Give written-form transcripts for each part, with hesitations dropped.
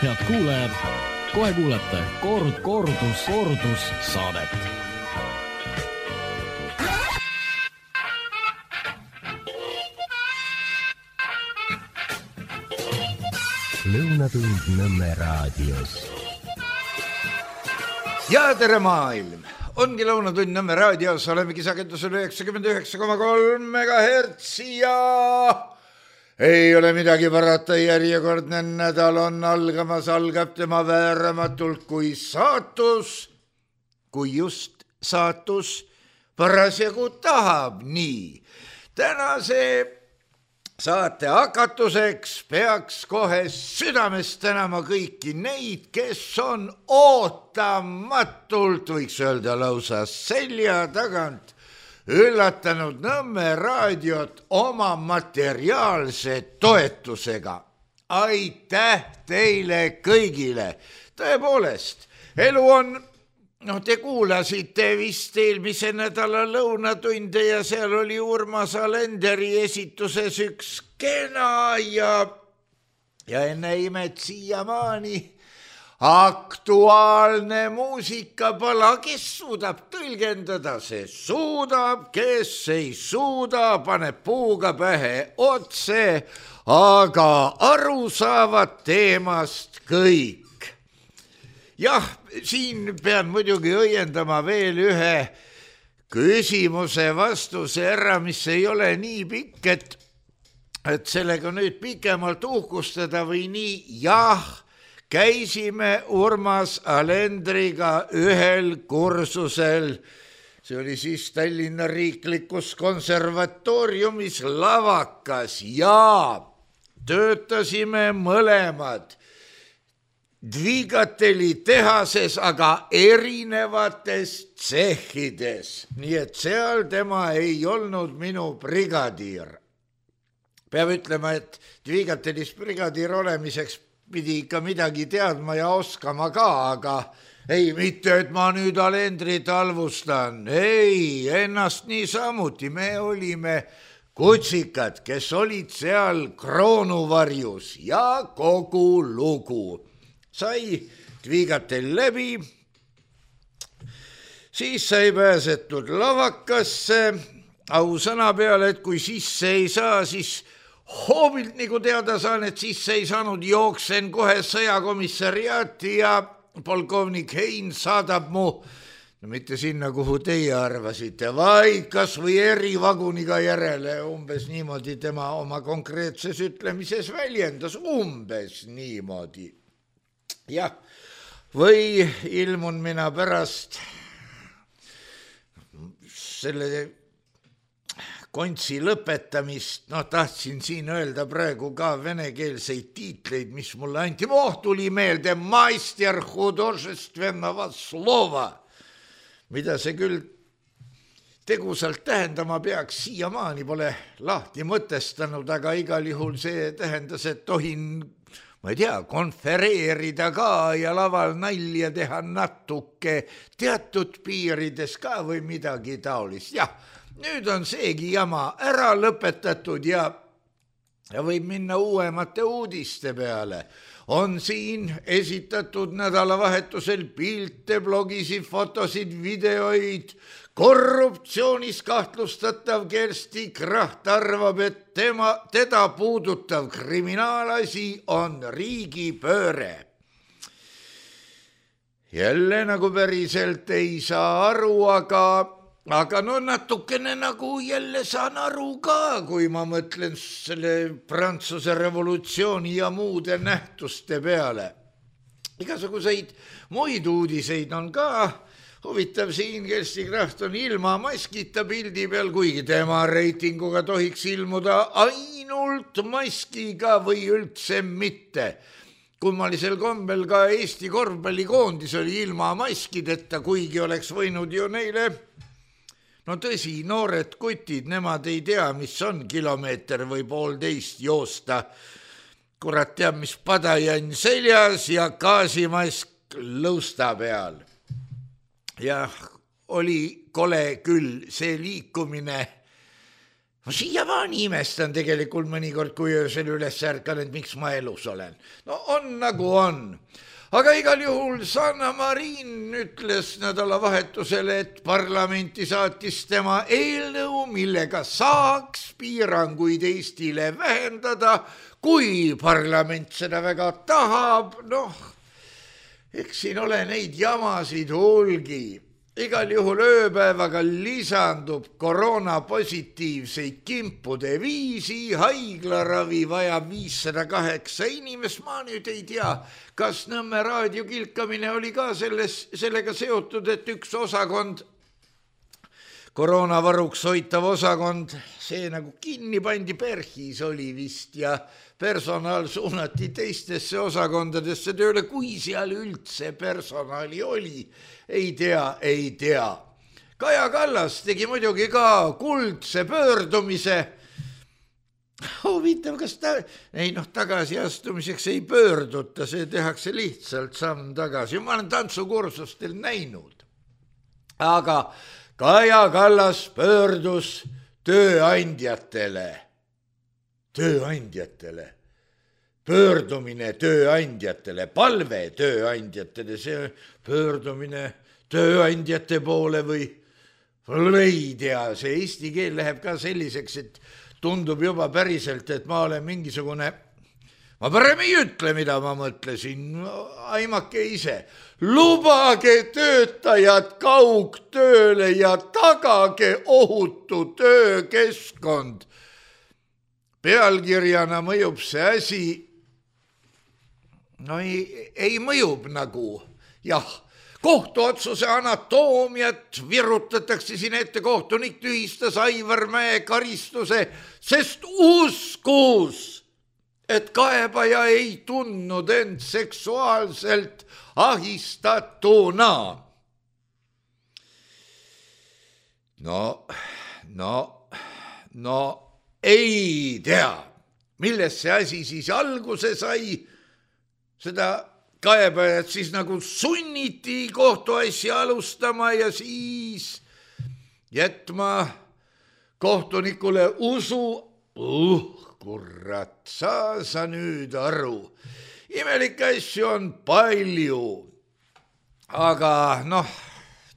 Head kuulajad, kohe kuulete kordus saadet. Lõunatund Nõmme raadios. Ja tere maailm! Ongi Lõunatund Nõmme raadios, oleme kisakendusel 99,3 MHz ja ei ole midagi parata, järjekordne nädal on algamas, algab tema vääramatult kui saatus, kui just saatus parasjagu tahab nii. Tänase saate hakatuseks peaks kohe südamest tänama kõiki neid, kes on ootamatult, võiks öelda lausa selja tagant, üllatanud Nõmme raadiot oma materiaalse toetusega. Aitäh teile kõigile! Tõepoolest, elu on, te kuulasite vist eelmise nädala lõunatunde ja seal oli Urmas Alenderi esituses üks kena ja enne imet siiamaani aktuaalne muusikapala, kes suudab tõlgendada, see suudab, kes ei suuda, paneb puuga pähe otse, aga aru saavad teemast kõik. Jah, siin pean muidugi õiendama veel ühe küsimuse vastuse ära, mis ei ole nii pikk, et sellega nüüd pikemalt uhkustada või nii. Jah, käisime Urmas Alendriga ühel kursusel, see oli siis Tallinna Riiklikus konservatooriumis Lavakas ja töötasime mõlemad Dvigateli tehases, aga erinevates tsehhides, nii et seal tema ei olnud minu brigadiir. Peab ütlema, et Dvigatelis brigadiir olemiseks pidi ikka midagi teadma ja oskama ka, aga ei, mitte, et ma nüüd Alendrit halvustan. Ei, ennast niisamuti. Me olime kutsikad, kes olid seal kroonuvarjus ja kogu lugu. Sai Dvigatel läbi, siis sai pääsetud Lavakasse, ausõna peale, et kui sisse ei saa, siis hoobilt nagu teada saan, et sisse ei saanud, jooksen kohe sõjakomissariaati ja polkovnik Hein saadab mu, no mitte sinna, kuhu teie arvasite, vaid kas või erivaguniga järele, umbes niimoodi tema oma konkreetses ütlemises väljendas, umbes niimoodi. Jah, või ilmun mina pärast selle kontsi lõpetamist, tahtsin siin öelda praegu ka venekeelseid tiitleid, mis mulle anti. Tuli meelde Maister hudожественного slova, mida see küll tegusalt tähendama peaks, siiamaani pole lahti mõtestanud, aga igal juhul see tähendas, et tohin, ma ei tea, konfereerida ka ja laval nalja teha natuke teatud piirides ka või midagi taolist. Jah, nüüd on seegi jama ära lõpetatud ja võib minna uuemate uudiste peale. On siin esitatud nädalavahetusel pilte, blogisid, fotosid, videoid. Korruptsioonis kahtlustatav Kersti Kracht arvab, et teda puudutav kriminaalasi on riigipööre. Jälle nagu päriselt ei saa aru, aga no natukene nagu jälle saan aru ka, kui ma mõtlen selle Prantsuse revolutsiooni ja muude nähtuste peale. Igasuguseid muid uudiseid on ka. Huvitav siin, Kersti Kracht on ilma maskita pildi peal, kuigi tema reitinguga tohiks ilmuda ainult maskiga või üldse mitte. Kummalisel kombel ka Eesti korvpallikoondis oli ilma maskideta, kuigi oleks võinud ju neile, no tõsi, noored kutid, nemad ei tea, mis on kilomeeter või 1,5 joosta. Kurat teab, mis padajann seljas ja gaasimask lõusta peal. Jah, oli kole küll see liikumine ma siiamaani imestan tegelikult mõnikord, kui öösel üles ärkan, et miks ma elus olen. No on nagu on. Aga igal juhul Sanna Marin ütles nädalavahetusele, et parlamenti saatis tema eelnõu, millega saaks piiranguid Eestile vähendada, kui parlament seda väga tahab. Noh, eks siin ole neid jamasid hulgi. Igal juhul ööpäevaga lisandub koroonapositiivseid kimpude 5, haiglaravi vajab 508 inimest. Ma nüüd ei tea, kas Nõmme raadio kilkamine oli ka sellega seotud, et üks osakond, koroonavaruks hoitav osakond, see nagu kinni pandi, PERH-is oli vist, ja personal suunati teistesse osakondadesse tööle, kui seal üldse personali oli. Ei tea. Kaja Kallas tegi muidugi ka kuldse pöördumise. Huvitav, kas tagasiastumiseks ei pöörduta, see tehakse lihtsalt samm tagasi. Ma olen tantsukursustel näinud. Aga Kaja Kallas pöördus tööandjatele. Pöördumine tööandjatele, palve tööandjatele, see pöördumine tööandjate poole või ei tea, see eesti keel läheb ka selliseks, et tundub juba päriselt, et ma olen mingisugune, ma parem ei ütle, mida ma mõtlesin, aimake ise. Lubage töötajad kaugtööle ja tagage ohutu töökeskkond. Pealkirjana mõjub see asi, no ei mõjub nagu, jah, kohtuotsuse anatoomiat virutatakse siin ette, kohtunik tühistas Aivar Mäe karistuse, sest uskus, et kaebaja ei tundnud end seksuaalselt ahistatuna. No, ei tea, millest see asi siis alguse sai, seda kaebajat siis nagu sunniti kohtuasja alustama ja siis jätma kohtunikule usu. Kurat, sa nüüd aru. Imelikke asju on palju, aga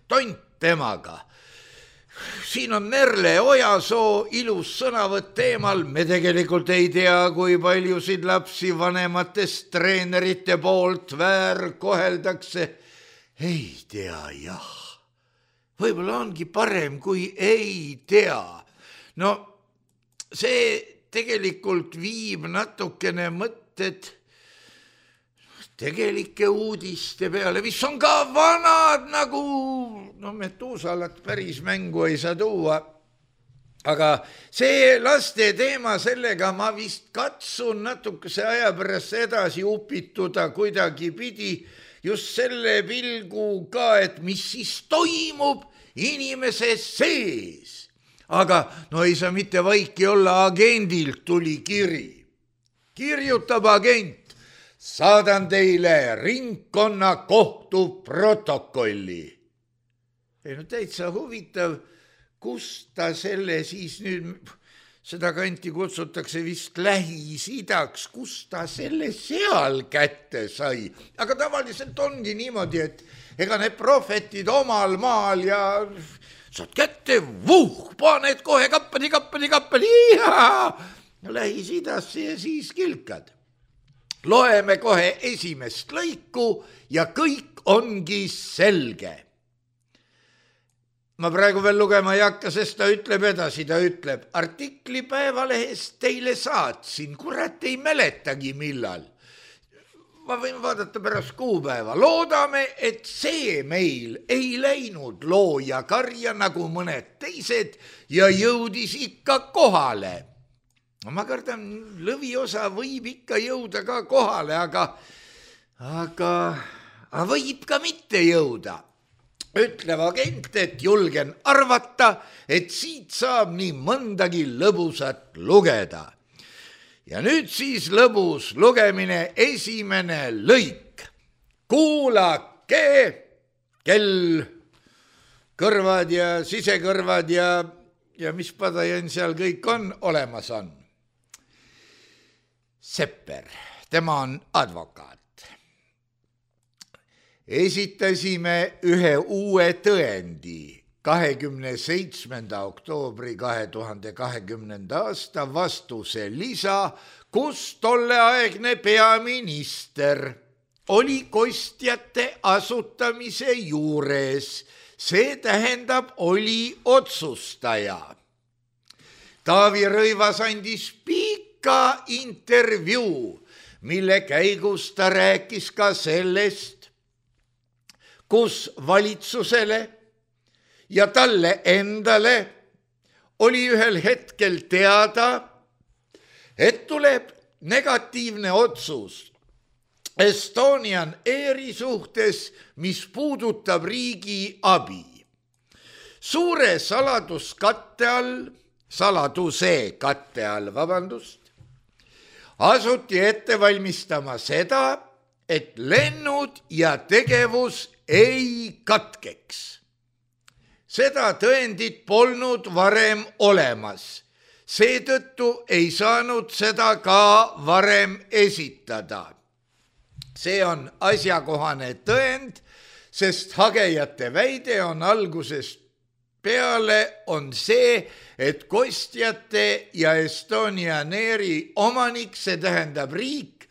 tont temaga. Siin on Merle Ojasoo ilus sõnavõtt teemal. Me tegelikult ei tea, kui paljusid lapsi vanematest treenerite poolt väärkoheldakse. Ei tea, jah. Võib-olla ongi parem, kui ei tea. No see tegelikult viib natukene mõtted tegelike uudiste peale, mis on ka vanad nagu, Metuusalat päris mängu ei saa tuua, aga see laste teema, sellega ma vist katsun natukese aja pärast edasi upituda kuidagi pidi just selle pilguga, et mis siis toimub inimese sees. Aga ei saa mitte vaiki olla, agendilt tuli kiri. Kirjutab agent. Saadan teile ringkonnakohtu protokolli. Täitsa huvitav, kus ta selle siis nüüd, seda kanti kutsutakse vist Lähis-Idaks, kus ta selle seal kätte sai. Aga tavaliselt ongi niimoodi, et ega need prohvetid omal maal ja saad kätte, paned kohe kappadi, Lähis-Idasse ja siis kilkad. Loeme kohe esimest lõiku ja kõik ongi selge. Ma praegu veel lugema ei hakka, sest ta ütleb edasi, ta ütleb, artikli Päevalehest teile saatsin, kurat ei mäletagi millal. Ma võin vaadata pärast kuupäeva. Loodame, et see meil ei läinud looja karja nagu mõned teised ja jõudis ikka kohale. Ma kardan, lõviosa võib ikka jõuda ka kohale, aga võib ka mitte jõuda. Ütleb agent, et julgen arvata, et siit saab nii mõndagi lõbusat lugeda. Ja nüüd siis lõbus lugemine, esimene lõik. Kuulake, kell, kõrvad ja sisekõrvad ja ja mis padajan seal kõik olemas on. Sepper, tema on advokaat. Esitasime ühe uue tõendi 27. oktoobri 2020. aasta vastuse lisa, kus tolleaegne peaminister oli kostjate asutamise juures. See tähendab, oli otsustaja. Taavi Rõivas andis pika intervjuu, mille käigus ta rääkis ka sellest, kus valitsusele ja talle endale oli ühel hetkel teada, et tuleb negatiivne otsus Estonian Airi suhtes, mis puudutab riigi abi. Suure saladuse katte all, asuti ette valmistama seda, et lennud ja tegevus ei katkeks. Seda tõendit polnud varem olemas. Seetõttu ei saanud seda ka varem esitada. See on asjakohane tõend, sest hagejate väide on algusest peale on see, et kostjate ja Estonian Airi omanik, see tähendab riik,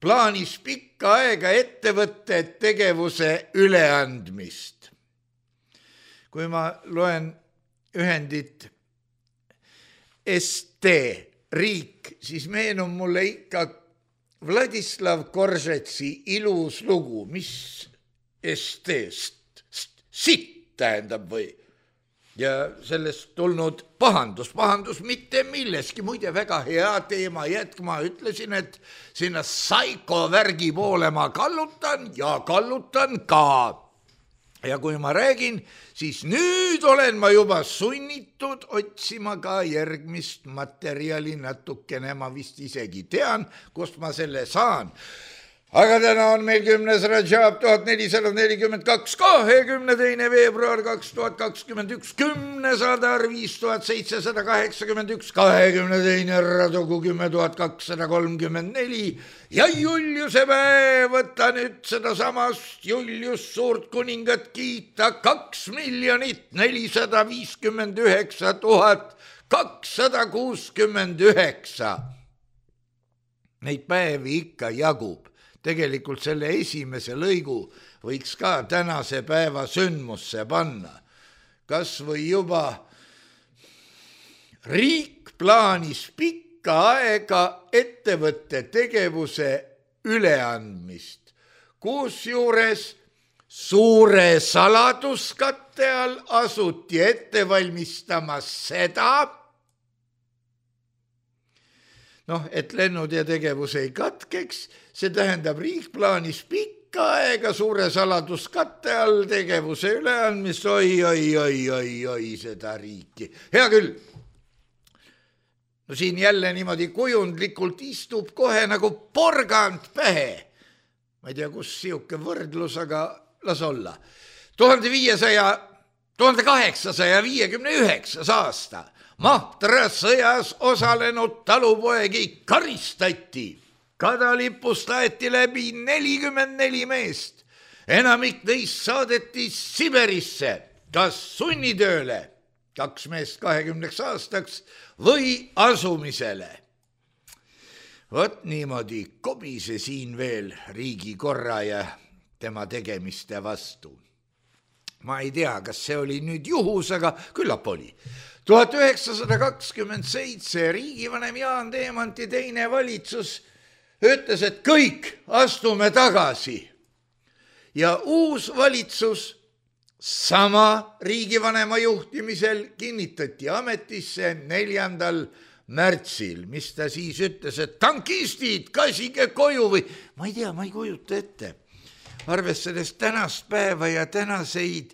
plaanis pikka aega ettevõtte tegevuse üleandmist. Kui ma loen ühendit ST, riik, siis meenub mulle ikka Vladislav Koržetsi ilus lugu, mis ST-st, sitt tähendab või? Ja sellest tulnud pahandus mitte milleski, muide väga hea teema jätk, ma ütlesin, et sinna saiko värgi poole ma kallutan ja kallutan ka. Ja kui ma räägin, siis nüüd olen ma juba sunnitud otsima ka järgmist materjali natukene, ma vist isegi tean, kust ma selle saan. Aga täna on meil 10. Rajab 1442, 22. veebruar 2021, 10. Sadar 5781, 22. Radugu 10234 ja Juliuse päev, võtta nüüd seda samast Julius suurt kuningat kiita 2 459 269. Neid päevi ikka jagub. Tegelikult selle esimese lõigu võiks ka tänase päeva sündmusse panna. Kas või juba riik plaanis pikka aega ettevõtte tegevuse üleandmist, kusjuures suure saladuskatte all asuti ette valmistama seda, et lennud ja tegevus ei katkeks, see tähendab riik plaanis pikka aega suure saladuskatte all tegevuse üleandmist, oi, seda riiki. Hea küll. No siin jälle niimoodi kujundlikult istub kohe nagu porgand pähe. Ma ei tea, kus siuke võrdlus, aga las olla. 1859 aasta. Mahtra sõjas osalenud talupoegi karistati. Kadalipust aeti läbi 44 meest. Enamik neist saadeti Siberisse, kas sunnitööle 2 meest 20 aastaks või asumisele. Vot niimoodi kobise siin veel riigikorra ja tema tegemiste vastu. Ma ei tea, kas see oli nüüd juhus, aga küllap oli. 1927 riigivanem Jaan Teemanti teine valitsus ütles, et kõik astume tagasi. Ja uus valitsus sama riigivanema juhtimisel kinnitati ametisse 4. märtsil, mis ta siis ütles, et tankistid, kasige koju või ma ei tea, ma ei kujuta ette. Arvestades tänast päeva ja tänaseid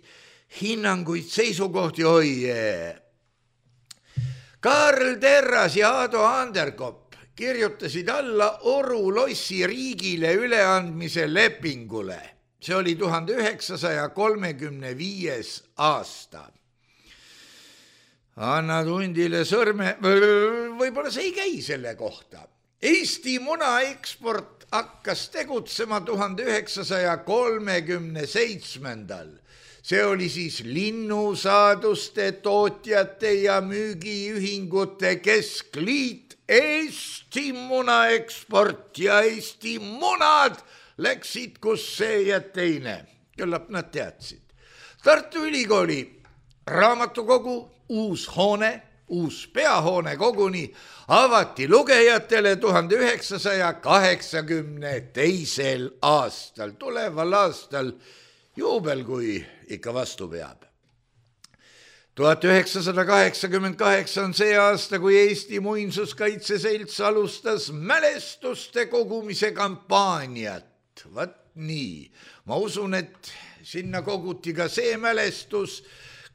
hinnanguid, seisukohti, Karl Terras ja Ado Anderkopp kirjutasid alla Oru lossi riigile üleandmise lepingule. See oli 1935. aasta. annad hundile sõrme, võib-olla see ei käi selle kohta. Eesti munaeksport hakkas tegutsema 1937. See oli siis linnusaaduste tootjate ja müügiühingute keskliit, Eesti munaeksport ja Eesti munad läksid kus see ja teine. Küllap nad teadsid. Tartu Ülikooli raamatukogu uus hoone, uus peahoone koguni avati lugejatele 1982. aastal, tuleval aastal juubel, kui ikka vastu peab. 1988 on see aasta, kui Eesti Muinsuskaitse Selts alustas mälestuste kogumise kampaaniat. Vat nii, ma usun, et sinna koguti ka see mälestus,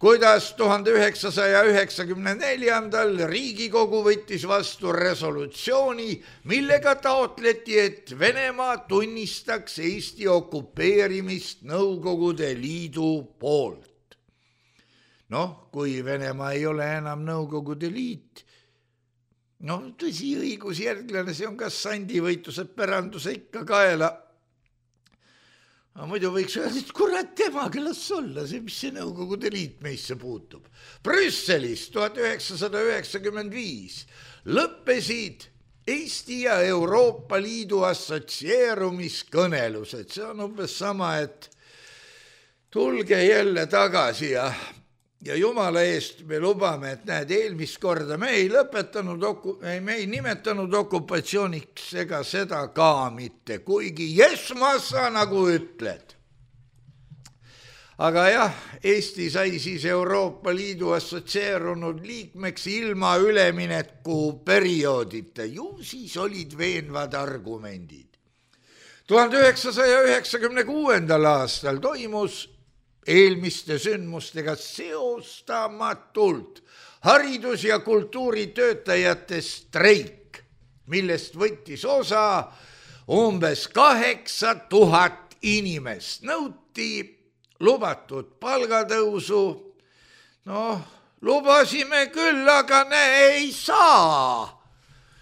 kuidas 1994. Riigikogu võttis vastu resolutsiooni, millega taotleti, et Venemaa tunnistaks Eesti okupeerimist Nõukogude Liidu poolt. Noh, kui Venemaa ei ole enam Nõukogude Liit, tõsi, õigusjärglane, see on kas sandivõitluse päranduse ikka kaela. Muidu võiks öelda, et kurat temaga las olla, mis see Nõukogude Liit meisse puutub. Brüsselis 1995 lõppesid Eesti ja Euroopa Liidu assotsieerumiskõnelused. See on umbes sama, et tulge jälle tagasi ja jumala eest me lubame, et näed, eelmist korda me ei nimetanud okupatsiooniks ega seda ka mitte, kuigi jesmassa nagu ütled. Aga jah, Eesti sai siis Euroopa Liidu assotsieerunud liikmeks ilma ülemineku perioodita. Ju siis olid veenvad argumendid. 1996. aastal toimus eelmiste sündmustega seostamatult haridus- ja kultuuritöötajate streik, millest võttis osa umbes 8000 inimest. Nõuti lubatud palgatõusu. Lubasime küll, aga ei saa.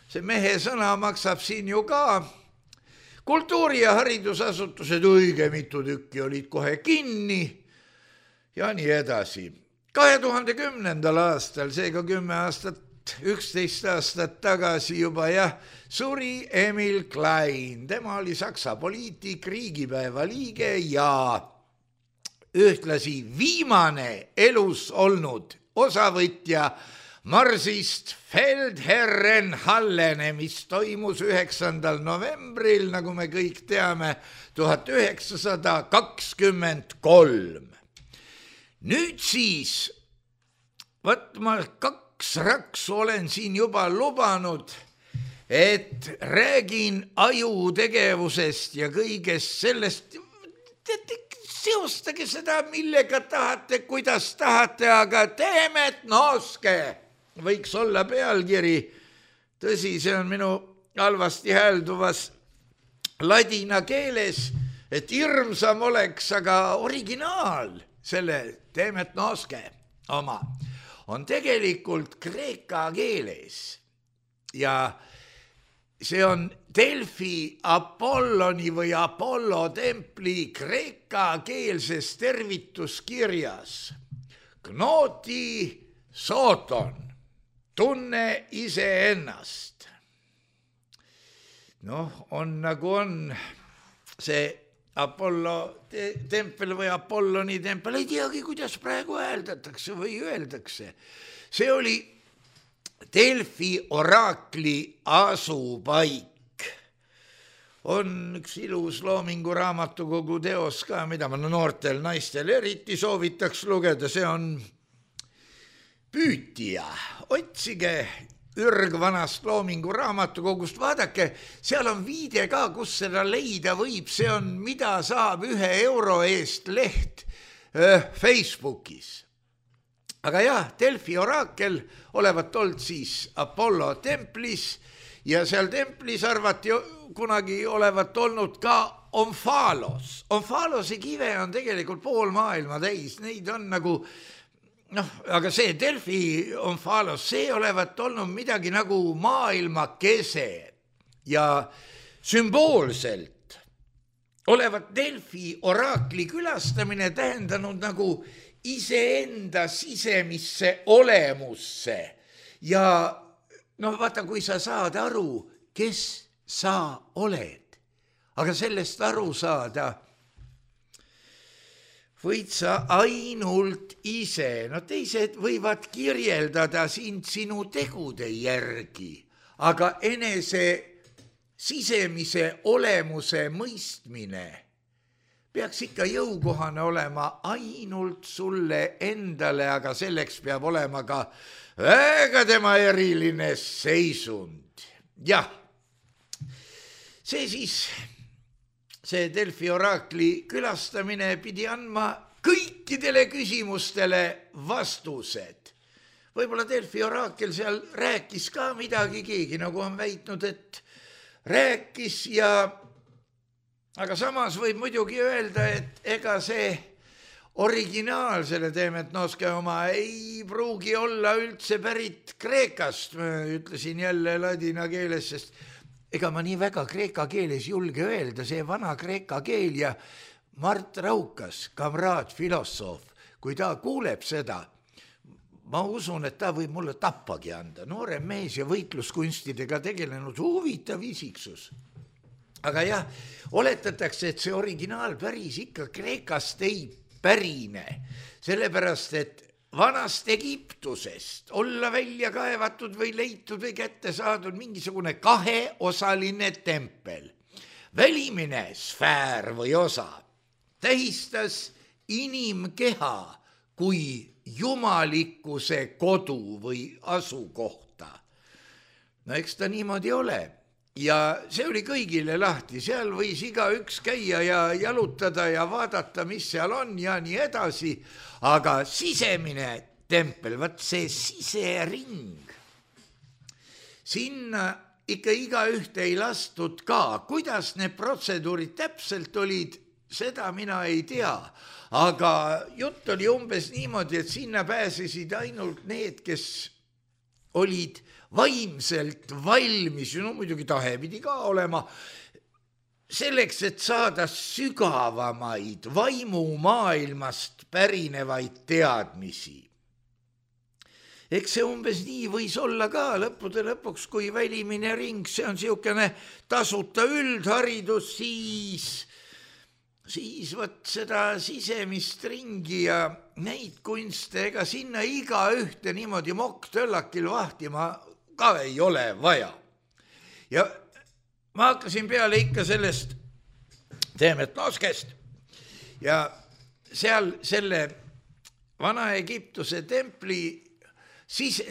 See mehe sõna maksab siin ju ka. Kultuuri- ja haridusasutused õige mitu tükki olid kohe kinni. Ja nii edasi. 2010. aastal, seega 11 aastat tagasi juba suri Emil Klein. Tema oli Saksa poliitik, riigipäeva liige ja ühtlasi viimane elus olnud osavõtja marsist Feldherrenhallene, mis toimus 9. novembril, nagu me kõik teame, 1923. Nüüd siis, ma 2 raksu olen siin juba lubanud, et räägin ajutegevusest ja kõigest sellest. Seostage seda, millega tahate, kuidas tahate, aga Teemet Nooske võiks olla pealkiri. Tõsi, see on minu halvasti häälduvas ladina keeles, et hirmsam oleks, aga originaal selle Teemet Nooske oma on tegelikult kreeka keeles ja see on Delfi Apolloni või Apollo templi kreeka keelses tervituskirjas. Gnoti soton, tunne iseennast. On nagu on see Apollo tempel või Apolloni tempel, ei teagi, kuidas praegu hääldatakse või öeldakse. See oli Delfi oraakli asupaik. On üks ilus Loomingu raamatukogu teos ka, mida ma noortel naistel eriti soovitaks lugeda, see on Püütija. Otsige ürgvanast Loomingu raamatukogust, vaadake, seal on viide ka, kus seda leida võib, see on, mida saab 1 euro eest leht Facebookis. Aga jah, Delfi oraakel olevat olnud siis Apollo templis ja seal templis arvati kunagi olevat olnud ka Omfalos. Omfalose kive on tegelikult pool maailma täis, neid on nagu aga see Delfi Omphalos, see olevat olnud midagi nagu maailma kese ja sümboolselt olevat Delfi oraakli külastamine tähendanud nagu iseenda sisemisse olemusse ja vaata, kui sa saad aru, kes sa oled, aga sellest aru saada võid sa ainult ise, teised võivad kirjeldada sind sinu tegude järgi, aga enese sisemise olemuse mõistmine peaks ikka jõukohane olema ainult sulle endale, aga selleks peab olema ka väga tema eriline seisund. Jah, see Delfi oraakli külastamine pidi andma kõikidele küsimustele vastused. Võib-olla Delfi oraakel seal rääkis ka midagi, keegi nagu on väitnud, et rääkis aga samas võib muidugi öelda, et ega see originaal selle Demetnoske oma ei pruugi olla üldse pärit Kreekast, ma ütlesin jälle ladina keeles, sest ega ma nii väga kreeka keeles julge öelda, see vana kreeka keel ja Mart Raukas, kamraad, filosoof, kui ta kuuleb seda, ma usun, et ta võib mulle tappagi anda. Noorem mees ja võitluskunstidega tegelenud huvitav isiksus. Aga jah, oletatakse, et see originaal päris ikka Kreekast ei pärine, sellepärast, et vanast Egiptusest olla välja kaevatud või leitud või kätte saadud mingisugune kaheosaline tempel. Välimine sfäär või osa tähistas inimkeha kui jumalikkuse kodu või asukohta. Eks ta niimoodi ole. Ja see oli kõigile lahti, seal võis igaüks käia ja jalutada ja vaadata, mis seal on ja nii edasi, aga sisemine tempel, see sisering, sinna ikka igaühte ei lastud ka. Kuidas need protseduurid täpselt olid, seda mina ei tea, aga jutt oli umbes niimoodi, et sinna pääsesid ainult need, kes olid vaimselt valmis, muidugi tahe pidi ka olema, selleks, et saada sügavamaid vaimumaailmast pärinevaid teadmisi. Eks see umbes nii võis olla ka lõppude lõpuks, kui välimine ring, see on siukene tasuta üldharidus, siis võt seda sisemist ringi ja neid kunste, ega sinna iga ühte niimoodi mokk-töllakil vahtima ka ei ole vaja. Ja ma hakkasin peale ikka sellest Demetnoskest ja seal selle Vana-Egiptuse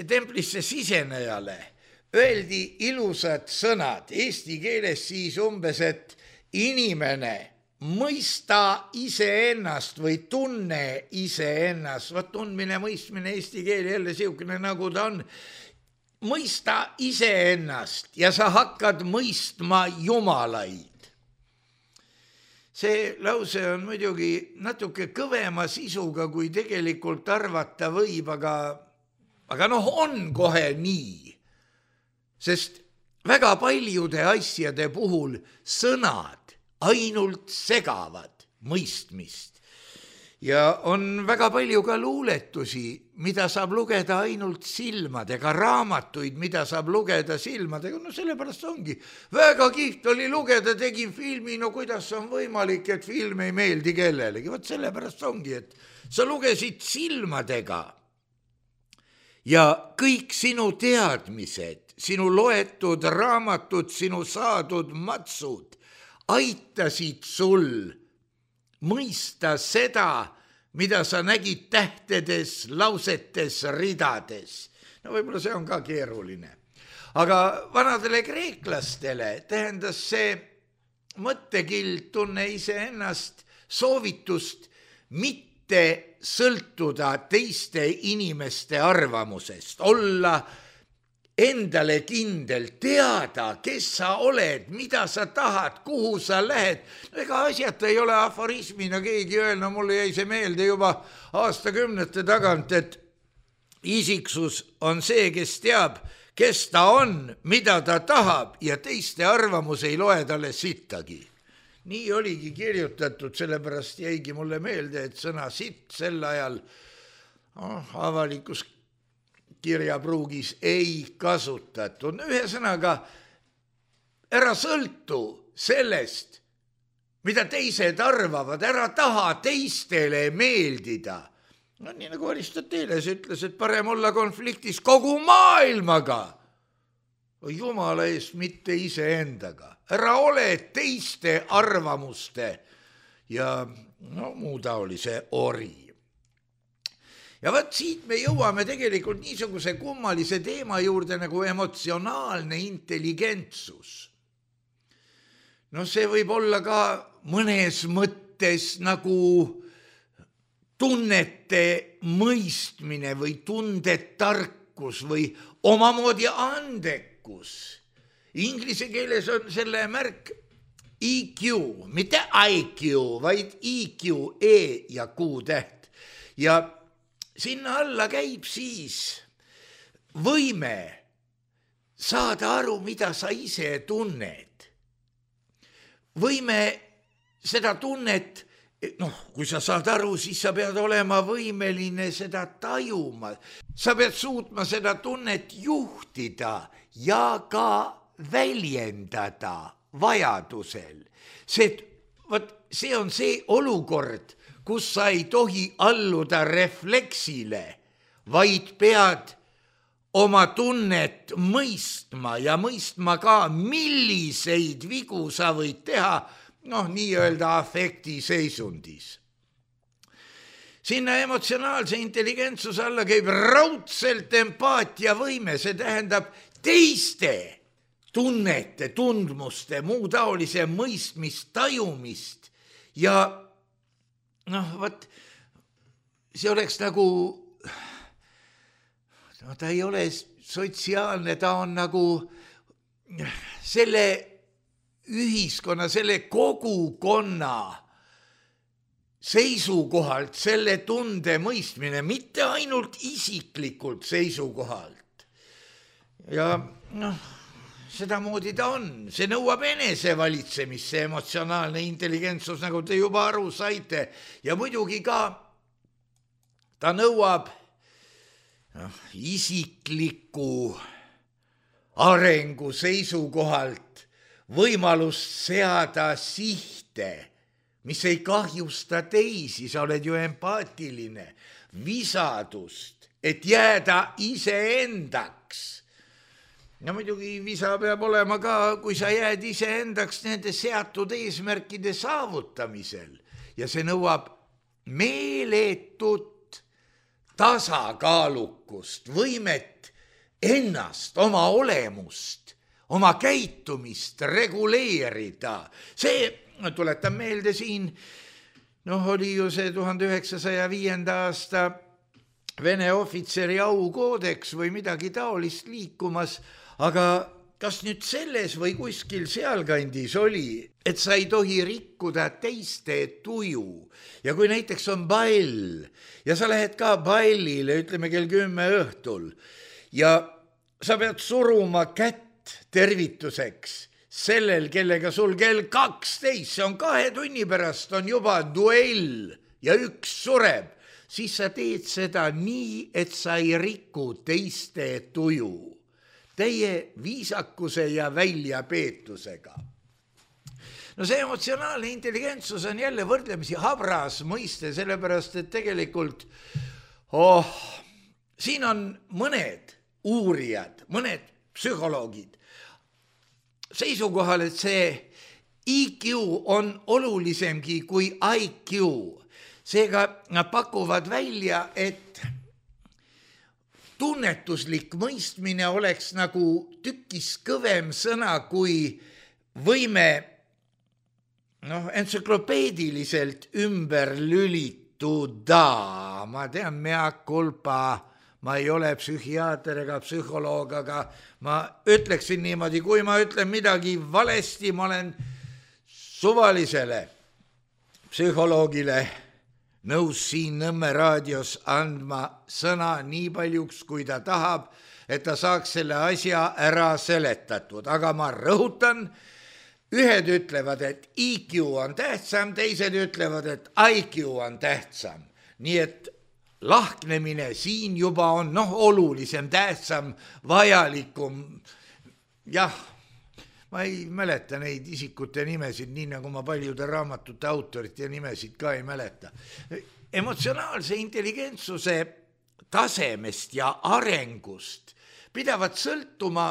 templisse sisenejale öeldi ilusad sõnad, eesti keeles siis umbes, et inimene mõista iseennast või tunne iseennast, tundmine, mõistmine, eesti keel jälle siukene nagu ta on, mõista iseennast ja sa hakkad mõistma jumalaid. See lause on muidugi natuke kõvema sisuga, kui tegelikult arvata võib, aga on kohe nii, sest väga paljude asjade puhul sõnad ainult segavad mõistmist. Ja on väga palju ka luuletusi, mida saab lugeda ainult silmadega, raamatuid, mida saab lugeda silmadega, sellepärast ongi. Väga kihvt oli lugeda, tegin filmi, kuidas on võimalik, et film ei meeldi kellelegi. Sellepärast ongi, et sa lugesid silmadega ja kõik sinu teadmised, sinu loetud raamatud, sinu saadud matsud aitasid sul mõista seda, mida sa nägid tähtedes, lausetes, ridades. Võib-olla see on ka keeruline. Aga vanadele kreeklastele tähendas see mõttekild, tunne iseennast, soovitust mitte sõltuda teiste inimeste arvamusest, olla endale kindel, teada, kes sa oled, mida sa tahad, kuhu sa lähed. Ega asjata ei ole aforismina keegi öelnud, mulle jäi see meelde juba aastakümnete tagant, et isiksus on see, kes teab, kes ta on, mida ta tahab ja teiste arvamus ei loe talle sittagi. Nii oligi kirjutatud, sellepärast jäigi mulle meelde, et sõna sitt sel ajal avalikus kirjapruugis ei kasutatud. Ühesõnaga, ära sõltu sellest, mida teised arvavad, ära taha teistele meeldida. No nii nagu Aristoteles ütles, et parem olla konfliktis kogu maailmaga, Jumala eest, mitte iseendaga. Ära ole teiste arvamuste ja muu taolise ori. Ja võt siit me jõuame tegelikult niisuguse kummalise teema juurde nagu emotsionaalne intelligentsus. No see võib olla ka mõnes mõttes nagu tunnete mõistmine või tundetarkus või omamoodi andekus. Inglise keeles on selle märk EQ, mitte IQ, vaid EQ, E ja Q täht. Ja sinna alla käib siis võime saada aru, mida sa ise tunned. Võime seda tunnet, kui sa saad aru, siis sa pead olema võimeline seda tajuma. Sa pead suutma seda tunnet juhtida ja ka väljendada vajadusel. See on see olukord, kus sa ei tohi alluda refleksile, vaid pead oma tunnet mõistma ja mõistma ka, milliseid vigu sa võid teha, nii-öelda afekti seisundis. Sinna emotsionaalse intelligentsuse alla käib raudselt empaatiavõime, see tähendab teiste tunnete, tundmuste, muu taolise mõistmist, tajumist ja see oleks nagu, ta ei ole sotsiaalne, ta on nagu selle ühiskonna, selle kogukonna seisukohalt, selle tunde mõistmine, mitte ainult isiklikult seisukohalt. Ja sedamoodi ta on, see nõuab enesevalitsemist, see emotsionaalne intelligentsus, nagu te juba aru saite, ja muidugi ka ta nõuab isikliku arengu seisukohalt võimalust seada sihte, mis ei kahjusta teisi, sa oled ju empaatiline, visadust, et jääda iseendaks. Ja muidugi visa peab olema ka, kui sa jääd iseendaks nende seatud eesmärkide saavutamisel ja see nõuab meeletut tasakaalukust, võimet ennast, oma olemust, oma käitumist reguleerida. See, tuletan meelde siin, oli ju see 1905. aasta Vene ohvitseri aukoodeks või midagi taolist liikumas, aga kas nüüd selles või kuskil sealkandis oli, et sa ei tohi rikkuda teiste tuju ja kui näiteks on ball ja sa lähed ka ballile, ütleme kell 10 õhtul ja sa pead suruma kätt tervituseks sellel, kellega sul kell 12, see on 2 tunni pärast, on juba duell ja üks sureb, siis sa teed seda nii, et sa ei riku teiste tuju, teie viisakuse ja väljapeetusega. See emotsionaalne intelligentsus on jälle võrdlemisi habras mõiste, sellepärast, et tegelikult siin on mõned uurijad, mõned psühholoogid seisukohal, et see IQ on olulisemgi kui IQ. Seega nad pakuvad välja, et tunnetuslik mõistmine oleks nagu tükis kõvem sõna kui võime entsüklopeediliselt ümber lülituda. Ma tean, mea culpa, ma ei ole psühhiaater ega psühholoog, aga ma ütleksin niimoodi, kui ma ütlen midagi valesti, ma olen suvalisele psühholoogile nõus siin Nõmme raadios andma sõna nii paljuks, kui ta tahab, et ta saaks selle asja ära seletatud, aga ma rõhutan, ühed ütlevad, et IQ on tähtsam, teised ütlevad, et IQ on tähtsam. Nii et lahknemine siin juba on olulisem, tähtsam, vajalikum. Jah, ma ei mäleta neid isikute nimesid, nii nagu ma paljude raamatute autorite nimesid ka ei mäleta. Emotsionaalse intelligentsuse tasemest ja arengust pidavat sõltuma,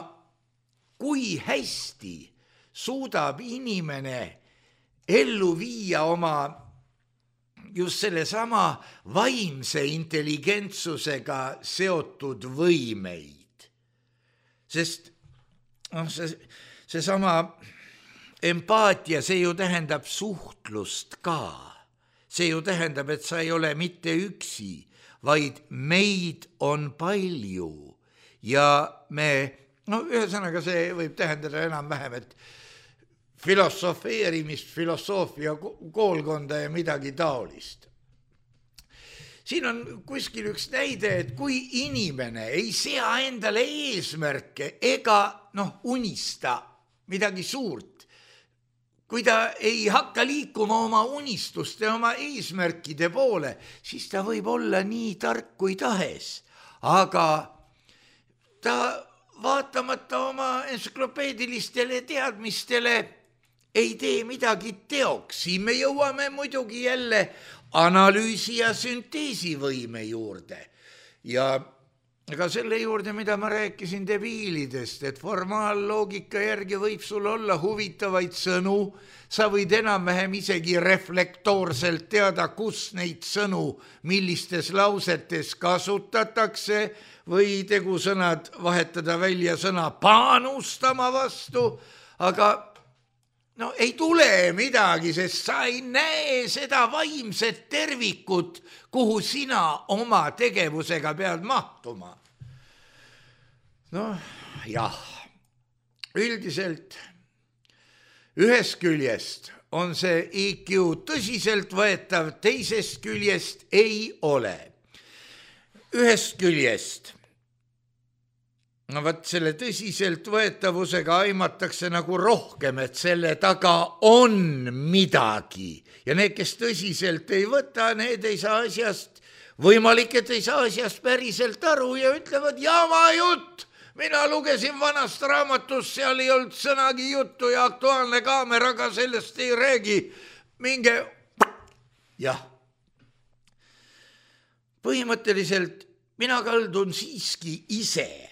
kui hästi suudab inimene ellu viia oma just selle sama vaimse intelligentsusega seotud võimeid. Sest see sama empaatia, see ju tähendab suhtlust ka. See ju tähendab, et sa ei ole mitte üksi, vaid meid on palju ja me, ühesõnaga see võib tähendada enam-vähem, et filosofeerimist, filosoofia koolkonda ja midagi taolist. Siin on kuskil üks näide, et kui inimene ei sea endale eesmärke ega unista midagi suurt, kui ta ei hakka liikuma oma unistuste, oma eesmärkide poole, siis ta võib olla nii tark kui tahes, aga ta vaatamata oma entsüklopeedilistele teadmistele ei tee midagi teoks. Siin me jõuame muidugi jälle analüüsi ja sünteesivõime juurde. Ja ega selle juurde, mida ma rääkisin debiilidest, et formaalloogika järgi võib sul olla huvitavaid sõnu, sa võid enam-vähem isegi reflektoorselt teada, kus neid sõnu, millistes lausetes kasutatakse või tegusõnad vahetada välja sõna panustama vastu, aga ei tule midagi, sest sa ei näe seda vaimset tervikut, kuhu sina oma tegevusega pead mahtuma. Jah, üldiselt ühest küljest on see IQ tõsiselt võetav, teisest küljest ei ole. Ühest küljest selle tõsiselt võetavusega aimatakse nagu rohkem, et selle taga on midagi. Ja need, kes tõsiselt ei võta, need ei saa asjast, võimalik, et ei saa asjast päriselt aru ja ütlevad jama jutt. Mina lugesin vanast raamatust, seal ei olnud sõnagi juttu ja Aktuaalne Kaameraga sellest ei räägi. Minge, jah. Põhimõtteliselt mina kaldun siiski ise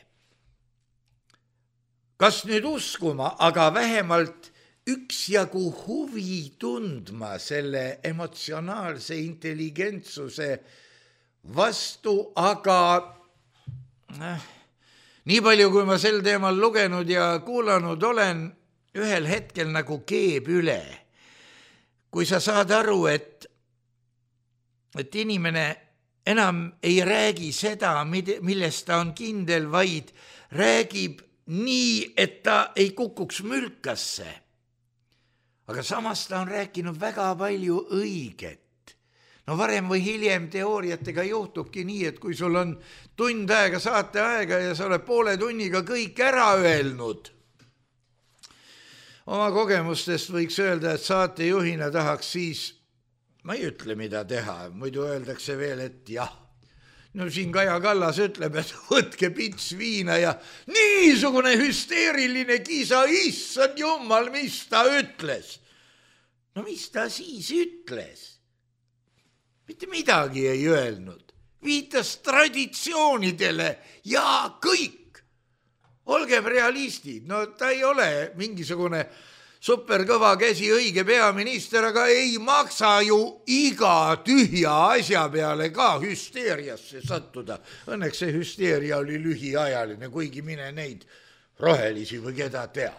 kas nüüd uskuma, aga vähemalt üksjagu huvi tundma selle emotsionaalse intelligentsuse vastu, aga nii palju, kui ma sel teemal lugenud ja kuulanud olen, ühel hetkel nagu keeb üle. Kui sa saad aru, et inimene enam ei räägi seda, millest ta on kindel, vaid räägib nii, et ta ei kukuks mülkasse. Aga samas ta on rääkinud väga palju õiget. Varem või hiljem teooriatega juhtubki nii, et kui sul on tund aega saate aega ja sa oled poole tunniga kõik ära öelnud. Oma kogemustest võiks öelda, et saatejuhina tahaks siis, ma ei ütle, mida teha, muidu öeldakse veel, et jah. Siin Kaja Kallas ütleb, et võtke pits viina ja niisugune hüsteeriline kisa, issand jumal, mis ta ütles. Mis ta siis ütles? Mitte midagi ei öelnud. Viitas traditsioonidele ja kõik. Olgem realistid, ta ei ole mingisugune superkõva käsi õige peaminister, aga ei maksa ju iga tühja asja peale ka hüsteeriasse sattuda. Õnneks see hüsteeria oli lühiajaline, kuigi mine neid rohelisi või keda tea.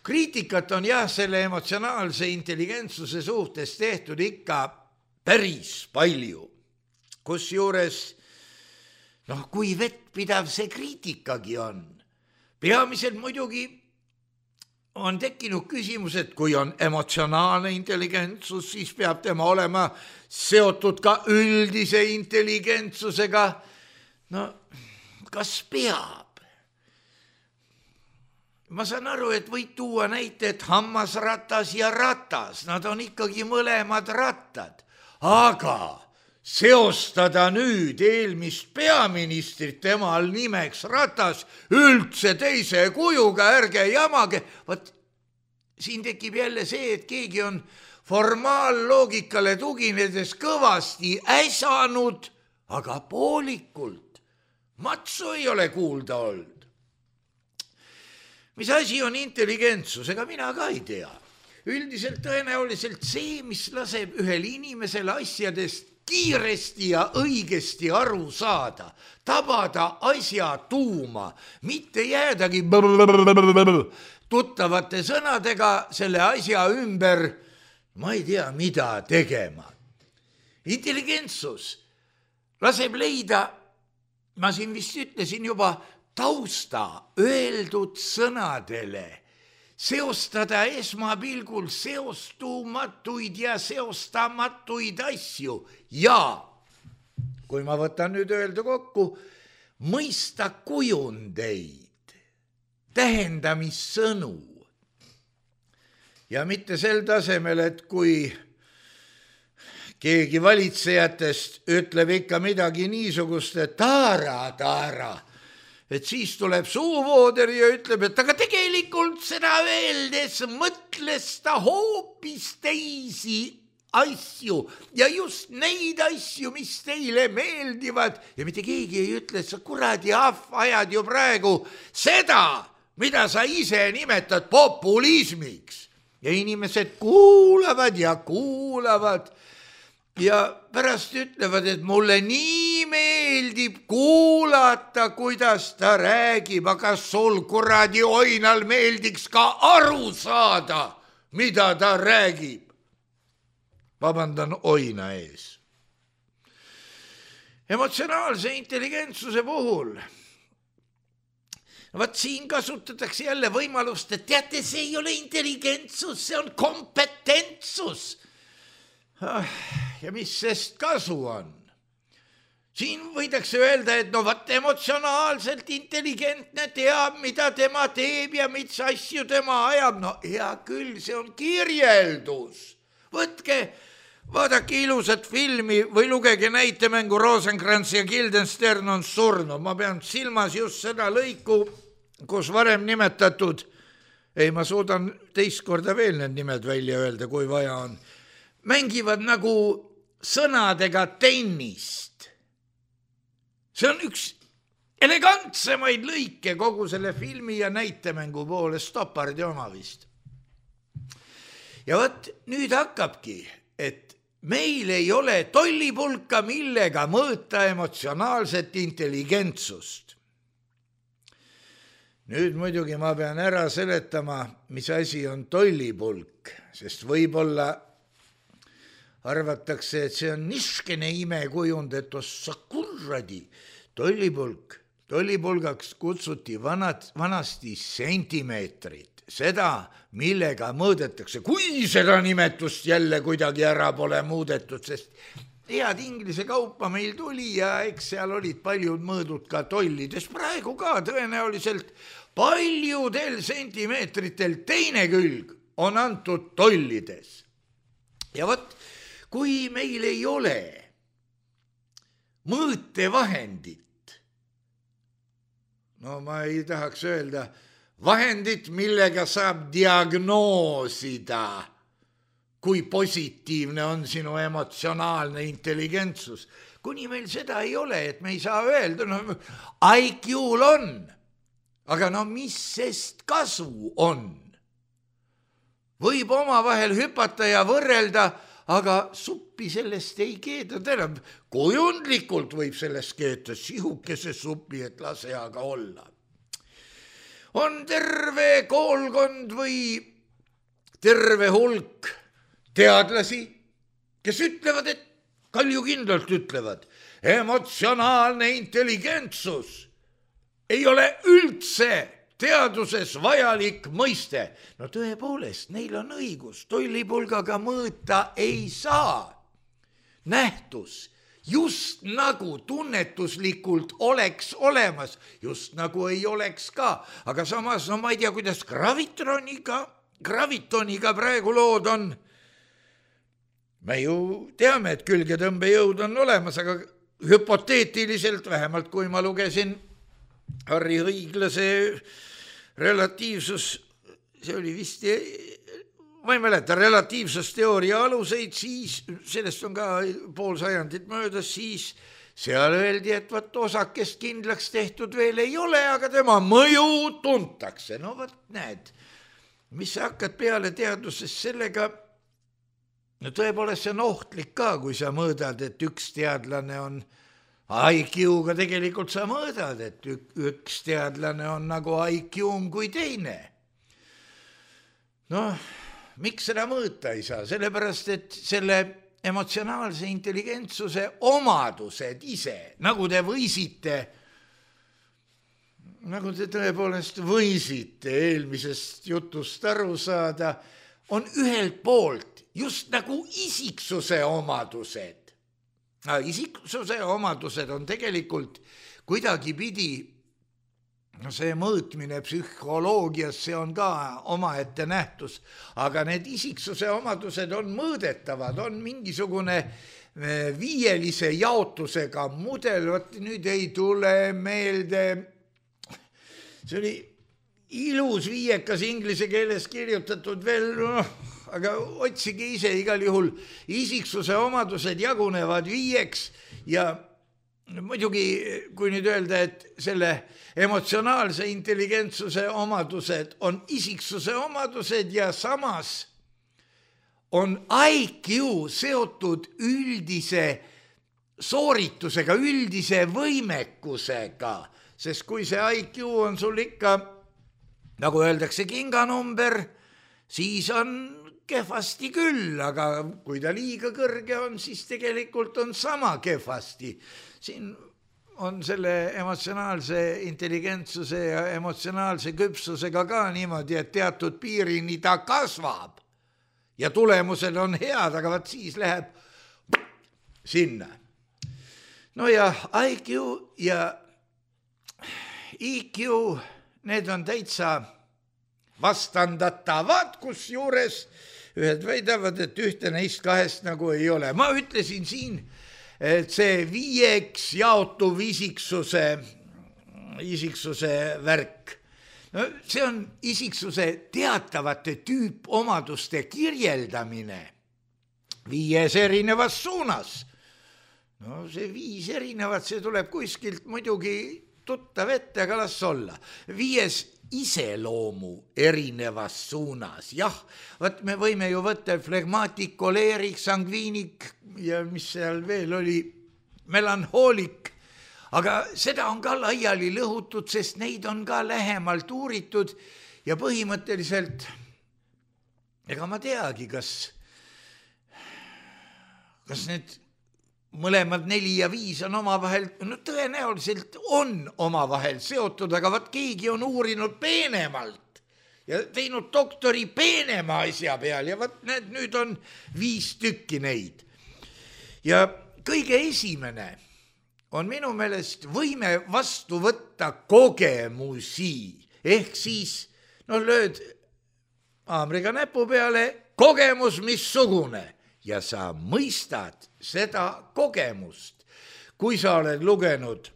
Kriitikat on selle emotsionaalse intelligentsuse suhtes tehtud ikka päris palju. Kusjuures, kui vettpidav see kriitikagi on. Peamiselt muidugi on tekkinud küsimus, et kui on emotsionaalne intelligentsus, siis peab tema olema seotud ka üldise intelligentsusega. No, kas peab? Ma saan aru, et võid tuua näite, et hammasratas ja ratas, nad on ikkagi mõlemad rattad, aga seostada nüüd eelmist peaministrit temal nimeks Ratas üldse teise kujuga, ärge jamage. Vaat siin tekib jälle see, et keegi on formaalloogikale tuginedes kõvasti äsanud, aga poolikult. Matsu ei ole kuulda olnud. Mis asi on intelligentsus, ega mina ka ei tea. Üldiselt tõenäoliselt see, mis laseb ühel inimesel asjadest kiiresti ja õigesti aru saada, tabada asja tuuma, mitte jäädagi tuttavate sõnadega selle asja ümber, ma ei tea, mida tegema. Intelligentsus laseb leida, ma siin vist ütlesin juba, tausta öeldud sõnadele, seostada esmapilgul seostumatuid ja seostamatuid asju ja, kui ma võtan nüüd öelda kokku, mõista kujundeid, tähendamissõnu ja mitte sel tasemel, et kui keegi valitsejatest ütleb ikka midagi niisugust, et taara, et siis tuleb suuvooder ja ütleb, et aga tegelikult seda öeldes mõtles ta hoopis teisi asju ja just neid asju, mis teile meeldivad ja mitte keegi ei ütle, et sa kuradi ajad ju praegu seda, mida sa ise nimetad populismiks ja inimesed kuulavad ja pärast ütlevad, et mulle nii meeldib kuulata, kuidas ta räägib, aga sul kuradi oinal meeldiks ka aru saada, mida ta räägib. Vabandan oina ees. Emotsionaalse intelligentsuse puhul. Vaat siin kasutatakse jälle võimalust, et teate, see ei ole intelligentsus, see on kompetentsus. Ja mis sest kasu on? Siin võidakse öelda, et no vaat emotsionaalselt intelligentne teab, mida tema teeb ja mis asju tema ajab. No hea küll, see on kirjeldus. Võtke, vaadake ilusat filmi või lugege näitemängu Rosenkrantz ja Guildenstern on surnud. Ma pean silmas just seda lõiku, kus varem nimetatud, ma suudan teist korda veel need nimed välja öelda, kui vaja on, mängivad nagu sõnadega tennist. See on üks elegantsemaid lõike kogu selle filmi ja näitemängu poole, Stoppardi oma vist. Ja võt nüüd hakkabki, et meil ei ole tollipulka, millega mõõta emotsionaalset intelligentsust. Nüüd muidugi ma pean ära seletama, mis asi on tollipulk, sest võib-olla arvatakse, et see on niskene imekujund, et ossa kurradi, tollipulgaks kutsuti vanasti sentimeetrit, seda, millega mõõdetakse, kui seda nimetust jälle kuidagi ära pole muudetud, sest head inglise kaupa meil tuli ja eks seal olid paljud mõõdud ka tollides, praegu ka tõenäoliselt paljudel sentimeetritel teine külg on antud tollides. Ja võt, kui meil ei ole mõõtevahendit, no ma ei tahaks öelda vahendit, millega saab diagnoosida, kui positiivne on sinu emotsionaalne intelligentsus. Kuni meil seda ei ole, et me ei saa öelda, no IQ-l on, aga no mis sest kasu on? Võib omavahel hüpata ja võrrelda, aga suppi sellest ei keeta, tähendab, kujundlikult võib sellest keeta sihukese supi, et lase aga olla. On terve koolkond või terve hulk teadlasi, kes ütlevad, et kaljukindlalt ütlevad, emotsionaalne intelligentsus ei ole üldse teaduses vajalik mõiste. No tõepoolest, neil on õigus, tollipulgaga mõõta ei saa. Nähtus just nagu tunnetuslikult oleks olemas, just nagu ei oleks ka, aga samas, no ma ei tea, kuidas gravitoniga praegu lood on. Me ju teame, et külgetõmbejõud on olemas, aga hüpoteetiliselt, vähemalt kui ma lugesin Harri Õiglase relatiivsus, see oli vist, ma ei mäleta, relatiivsusteooria aluseid, siis sellest on ka pool sajandit möödas, siis seal öeldi, et võt osakest kindlaks tehtud veel ei ole, aga tema mõju tuntakse. No võt näed, mis sa hakkad peale teaduses sellega, no tõepoolest see on ohtlik ka, kui sa mõõdad, et üks teadlane on IQ-ga, tegelikult sa mõõdad, et üks teadlane on nagu IQ-m kui teine. Noh, miks seda mõõta ei saa? Sellepärast, et selle emotsionaalse intelligentsuse omadused ise, nagu te tõepoolest võisite eelmisest jutust aru saada, on ühelt poolt just nagu isiksuse omadused. Isiksuse omadused on tegelikult kuidagipidi, no see mõõtmine psühholoogias, see on ka omaette nähtus, aga need isiksuse omadused on mõõdetavad, on mingisugune viielise jaotusega mudel, vot nüüd ei tule meelde, see oli ilus viiekas inglise keeles kirjutatud veel, aga otsige ise igal juhul, isiksuse omadused jagunevad viieks ja muidugi, kui nüüd öelda, et selle emotsionaalse intelligentsuse omadused on isiksuse omadused ja samas on IQ seotud üldise sooritusega, üldise võimekusega, sest kui see IQ on sul ikka, nagu öeldakse, kinganumber, siis on kehvasti küll, aga kui ta liiga kõrge on, siis tegelikult on sama kehvasti. Siin on selle emotsionaalse intelligentsuse ja emotsionaalse küpsusega ka niimoodi, et teatud piirini ta kasvab ja tulemused on head, aga vaat siis läheb sinna. No ja IQ ja IQ, need on täitsa vastandatavad, kus juures ühed väidavad, et ühte neist kahest nagu ei ole. Ma ütlesin siin, et see viieks jaotuv isiksuse värk, no see on isiksuse teatavate tüüpomaduste kirjeldamine 5 erinevas suunas. No see 5 erinevat, see tuleb kuskilt muidugi tuttav ette, aga las olla. 5 iseloomu erinevas suunas. Jah, võt me võime ju võtta flegmaatik, koleerik, sangviinik ja mis seal veel oli, melanhoolik, aga seda on ka laiali lõhutud, sest neid on ka lähemalt uuritud ja põhimõtteliselt ega ma teagi, kas need mõlemad 4 ja 5 on omavahel, no tõenäoliselt on omavahel seotud, aga vaat keegi on uurinud peenemalt ja teinud doktori peenema asja peal ja vaat nüüd on 5 tükki neid. Ja kõige esimene on minu meelest võime vastu võtta kogemusi, ehk siis, no lööd haamriga näpu peale, kogemus missugune ja sa mõistad seda kogemust. Kui sa oled lugenud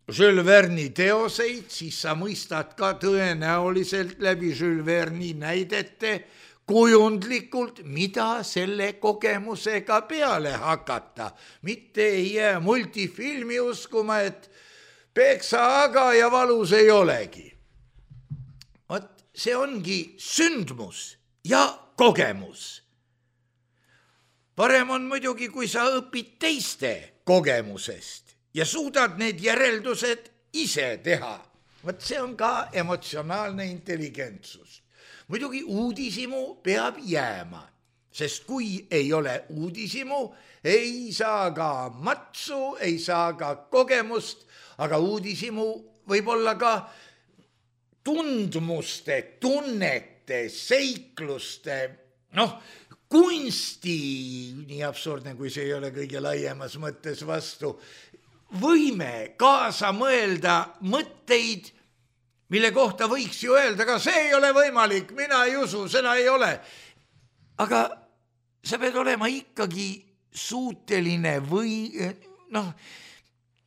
Jules Verne'i teoseid, siis sa mõistad ka tõenäoliselt läbi Jules Verne'i näidete kujundlikult, mida selle kogemusega peale hakata. Mitte ei jää multifilmi uskuma, et peksa aga ja valus ei olegi. Vot see ongi sündmus ja kogemus. Parem on muidugi, kui sa õpid teiste kogemusest ja suudad need järeldused ise teha. Vot see on ka emotsionaalne intelligentsus. Muidugi uudishimu peab jääma, sest kui ei ole uudishimu, ei saa ka matsu, ei saa ka kogemust, aga uudishimu võib olla ka tundmuste, tunnete, seikluste, kunsti, nii absurdne, kui see ei ole kõige laiemas mõttes vastu, võime kaasa mõelda mõtteid, mille kohta võiks ju öelda, aga see ei ole võimalik, mina ei usu, seda ei ole. Aga sa pead olema ikkagi suuteline või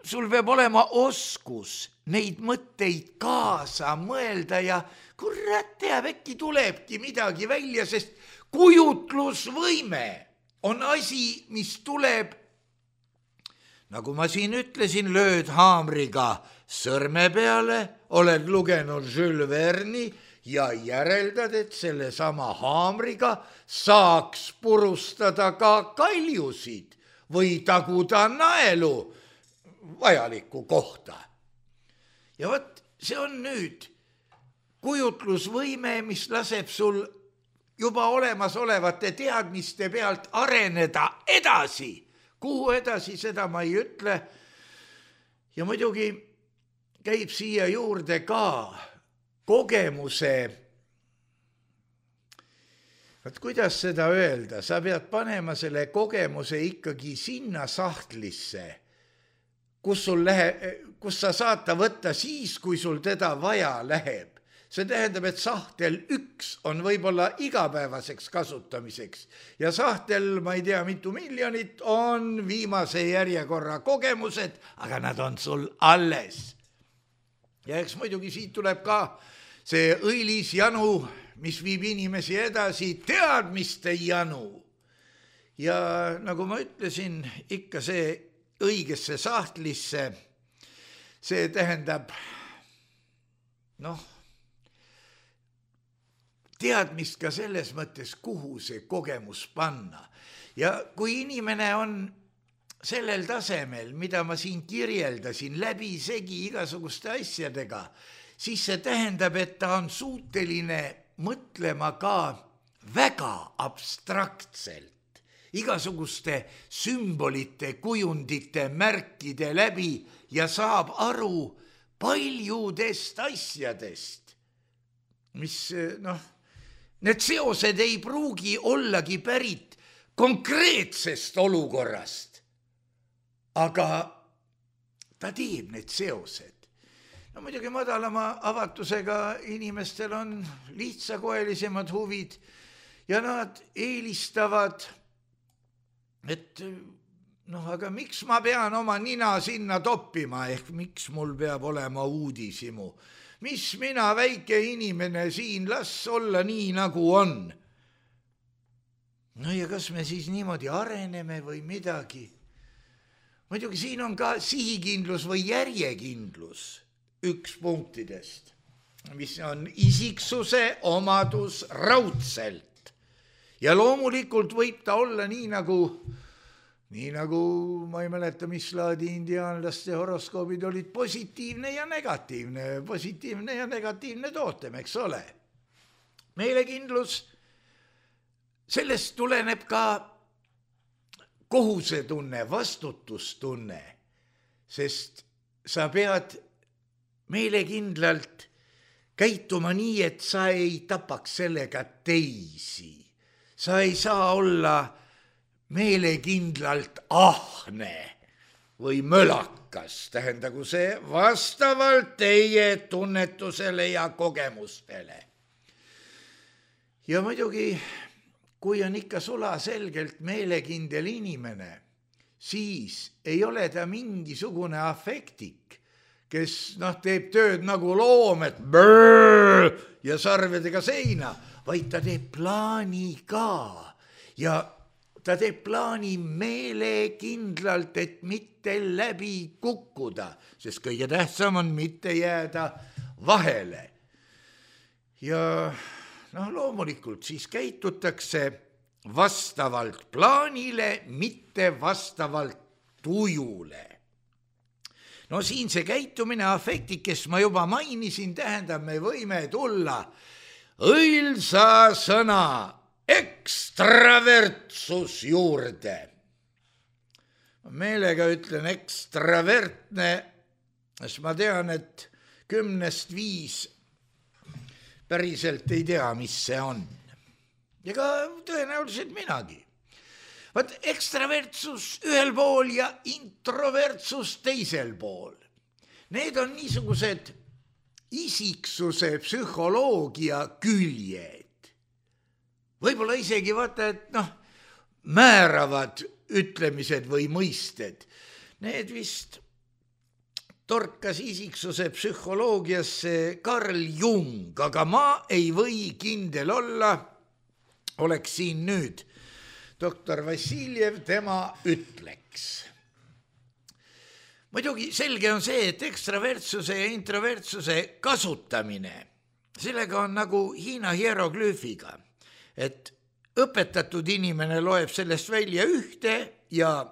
sul peab olema oskus neid mõtteid kaasa mõelda ja kurat teab, äkki tulebki midagi välja, sest kujutlusvõime on asi, mis tuleb, nagu ma siin ütlesin, lööd haamriga sõrme peale, oled lugenud Jules Verne'i ja järeldad, et selle sama haamriga saaks purustada ka kaljusid või taguda naelu vajalikku kohta. Ja vot see on nüüd kujutlusvõime, mis laseb sul juba olemasolevate teadmiste pealt areneda edasi. Kuhu edasi, seda ma ei ütle. Ja muidugi käib siia juurde ka kogemuse. Vaat kuidas seda öelda, sa pead panema selle kogemuse ikkagi sinna sahtlisse, kus sa saad ta võtta siis, kui sul teda vaja läheb. See tähendab, et sahtel 1 on võib-olla igapäevaseks kasutamiseks ja sahtel, ma ei tea, mitu miljonit on viimase järjekorra kogemused, aga nad on sul alles. Ja eks muidugi siit tuleb ka see õilis janu, mis viib inimesi edasi, teadmiste janu. Ja nagu ma ütlesin, ikka see õigesse sahtlisse, see tähendab, teadmist ka selles mõttes, kuhu see kogemus panna. Ja kui inimene on sellel tasemel, mida ma siin kirjeldasin, läbisegi igasuguste asjadega, siis see tähendab, et ta on suuteline mõtlema ka väga abstraktselt, igasuguste sümbolite, kujundite, märkide läbi ja saab aru paljudest asjadest, mis need seosed ei pruugi ollagi pärit konkreetsest olukorrast, aga ta teeb need seosed. Muidugi madalama avatusega inimestel on lihtsakoelisemad huvid ja nad eelistavad, et aga miks ma pean oma nina sinna toppima, ehk miks mul peab olema uudishimu? Mis mina, väike inimene siin, las olla nii, nagu on. Ja kas me siis niimoodi areneme või midagi? Muidugi siin on ka sihikindlus või järjekindlus üks punktidest, mis on isiksuse omadus raudselt. Ja loomulikult võib ta olla nii nagu ma ei mäleta, mis laadi indiaanlaste horoskoobid olid positiivne ja negatiivne tootem, eks ole. Meelekindlus, sellest tuleneb ka kohusetunne, vastutustunne, sest sa pead meelekindlalt käituma nii, et sa ei tapaks sellega teisi. Sa ei saa olla meelekindlalt ahne või mölakas, tähendagu see vastavalt teie tunnetusele ja kogemustele. Ja muidugi, kui on ikka sulaselgelt meelekindel inimene, siis ei ole ta mingisugune afektik, kes teeb tööd nagu loom, et brrr ja sarvedega seina, vaid ta teeb plaani ka ja ta teeb plaani meelekindlalt, et mitte läbi kukkuda, sest kõige tähtsam on mitte jääda vahele. Ja loomulikult siis käitutakse vastavalt plaanile, mitte vastavalt tujule. Siin see käitumine afektik, kes ma juba mainisin, tähendab, me võime tulla õilsa sõna ekstravertsus juurde. Meelega ütlen ekstravertne, sest ma tean, et 10-5 päriselt ei tea, mis see on. Ja ka tõenäoliselt minagi. Vaat ekstravertsus ühel pool ja introvertsus teisel pool. Need on niisugused isiksuse psühholoogia küljed. Võib-olla isegi vaata, et määravad ütlemised või mõisted. Need vist torkas isiksuse psühholoogiasse Carl Jung, aga ma ei või kindel olla, oleks siin nüüd doktor Vassiljev, tema ütleks. Muidugi selge on see, et ekstravertsuse ja introvertsuse kasutamine, sellega on nagu Hiina hieroglüüfiga, et õpetatud inimene loeb sellest välja ühte ja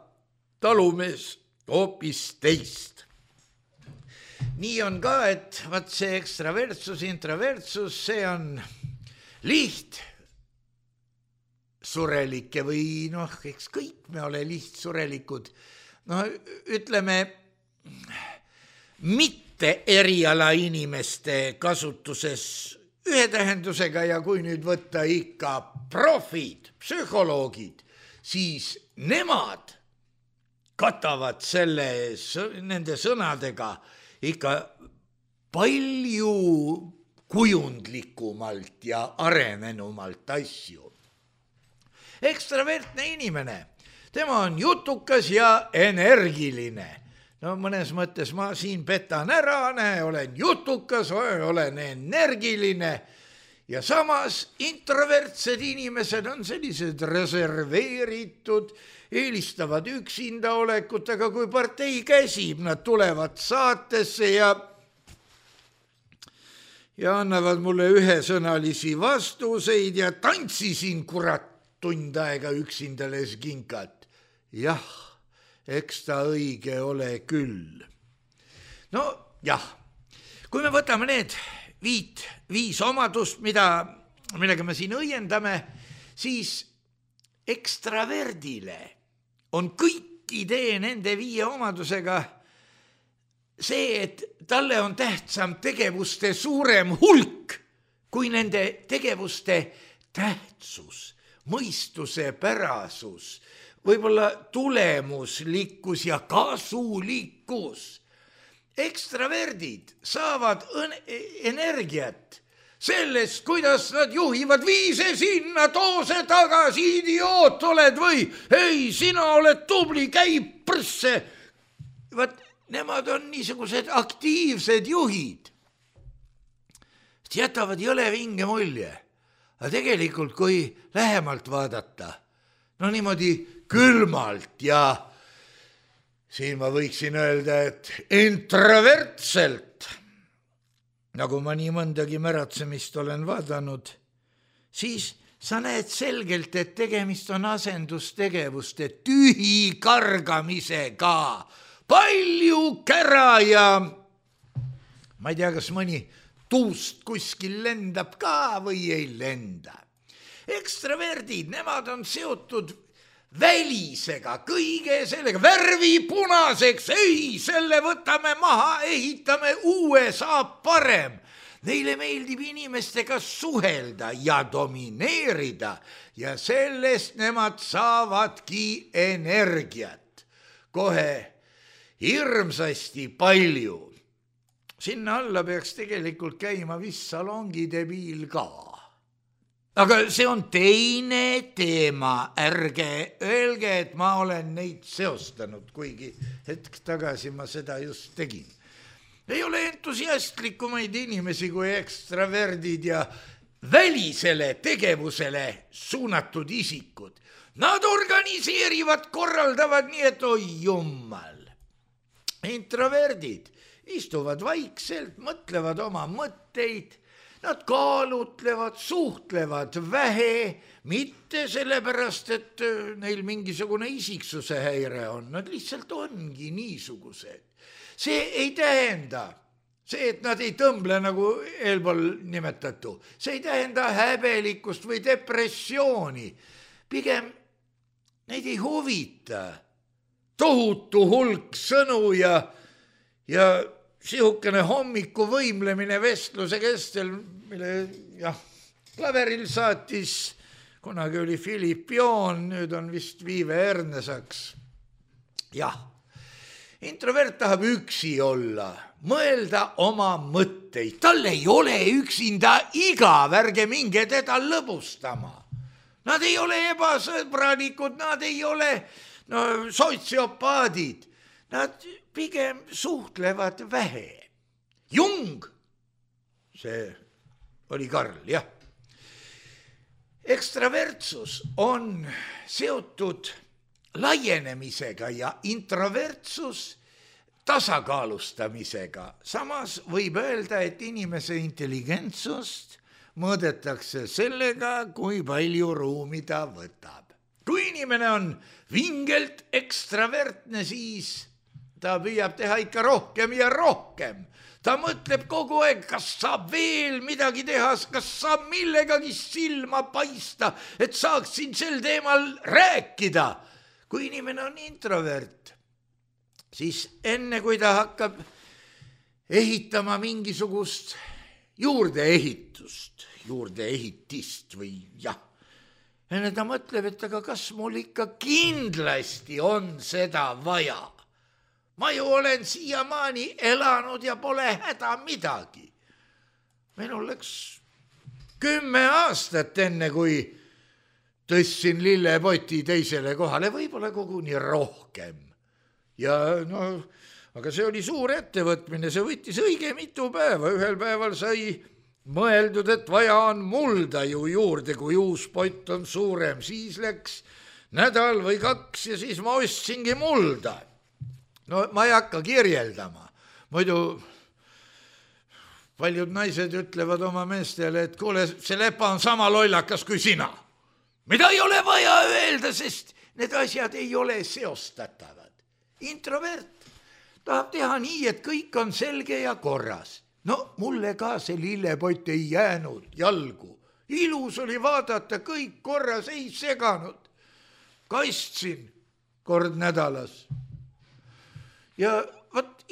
talumees hoopis teist. Nii on ka, et vaat see ekstravertsus, introvertsus, see on lihtsurelikke või eks kõik me ole lihtsurelikud. Ütleme, mitte eriala inimeste kasutuses ühe tähendusega ja kui nüüd võtta ikka profid, psühholoogid, siis nemad katavad nende sõnadega ikka palju kujundlikumalt ja arenenumalt asju. Ekstravertne inimene, tema on jutukas ja energiline. Mõnes mõttes ma siin petan ära, olen jutukas, olen energiline ja samas introvertsed inimesed on sellised reserveeritud, eelistavad üksinda olekut, aga kui partei käsib, nad tulevad saatesse ja annavad mulle ühesõnalisi vastuseid ja tantsisin kurat tund aega üksinda leskinkat. Jah, eks ta õige ole küll. Kui me võtame need viis omadust, millega me siin õiendame, siis ekstraverdile on kõik idee nende 5 omadusega see, et talle on tähtsam tegevuste suurem hulk kui nende tegevuste tähtsus, mõistuse pärasus, võib-olla tulemuslikkus ja kasulikkus. Ekstraverdid saavad energiat sellest, kuidas nad juhivad, vii see sinna, too see tagasi, idioot oled või, ei, sina oled tubli, käi prsse. Vaat nemad on niisugused aktiivsed juhid. Jätavad jõle vinge mulje, aga tegelikult kui lähemalt vaadata, niimoodi külmalt ja siin ma võiksin öelda, et introvertselt, nagu ma nii mõndagi märatsemist olen vaadanud, siis sa näed selgelt, et tegemist on asendustegevuste tühi kargamisega. Palju kära ja ma ei tea, kas mõni tuust kuskil lendab ka või ei lenda. Ekstraverdid, nemad on seotud välisega, kõige sellega, värvi punaseks, ei, selle võtame maha, ehitame uue, saab parem. Neile meeldib inimestega suhelda ja domineerida ja sellest nemad saavadki energiat. Kohe hirmsasti palju. Sinna alla peaks tegelikult käima vist salongidebiil ka. Aga see on teine teema, ärge öelge, et ma olen neid seostanud, kuigi hetk tagasi ma seda just tegin. Ei ole entusiastlikumaid inimesi kui ekstraverdid ja välisele tegevusele suunatud isikud. Nad organiseerivad, korraldavad nii, et oi jummal. Introverdid istuvad vaikselt, mõtlevad oma mõtteid, nad kaalutlevad, suhtlevad vähe, mitte sellepärast, et neil mingisugune isiksuse häire on, nad lihtsalt ongi niisugused. See ei tähenda, see, et nad ei tõmble nagu eelpool nimetatu, see ei tähenda häbelikkust või depressiooni, pigem neid ei huvita tohutu hulk sõnu ja sihukene hommiku võimlemine vestluse kestel, mille klaveril saatis, kunagi oli Philipp Joon, nüüd on vist Viive Ernesaks. Jah, introvert tahab üksi olla, mõelda oma mõtteid, tal ei ole üksinda igav, ärge minge teda lõbustama. Nad ei ole ebasõbralikud, nad ei ole sotsiopaadid, nad pigem suhtlevad vähe. Jung, see oli Karl, jah. Ekstravertsus on seotud laienemisega ja introvertsus tasakaalustamisega. Samas võib öelda, et inimese intelligentsust mõõdetakse sellega, kui palju ruumi ta võtab. Kui inimene on vingelt ekstravertne, siis ta püüab teha ikka rohkem ja rohkem. Ta mõtleb kogu aeg, kas saab veel midagi teha, kas saab millegagi silma paista, et saaksin sel teemal rääkida. Kui inimene on introvert, siis enne kui ta hakkab ehitama mingisugust juurdeehitist või enne ta mõtleb, et aga kas mul ikka kindlasti on seda vaja. Ma ju olen siiamaani elanud ja pole häda midagi. Minul läks 10 aastat enne, kui tõstsin lillepoti teisele kohale, võib-olla koguni rohkem. Ja aga see oli suur ettevõtmine, see võttis õige mitu päeva. Ühel päeval sai mõeldud, et vaja on mulda ju juurde, kui uus pott on suurem. Siis läks nädal või 2 ja siis ma ostsingi mulda. Ma ei hakka kirjeldama. Muidu paljud naised ütlevad oma meestele, et kuule, see lepa on sama lollakas kui sina. Mida ei ole vaja öelda, sest need asjad ei ole seostatavad. Introvert tahab teha nii, et kõik on selge ja korras. Mulle ka see lillepott ei jäänud jalgu. Ilus oli vaadata, kõik korras, ei seganud. Kaistsin kord nädalas. Ja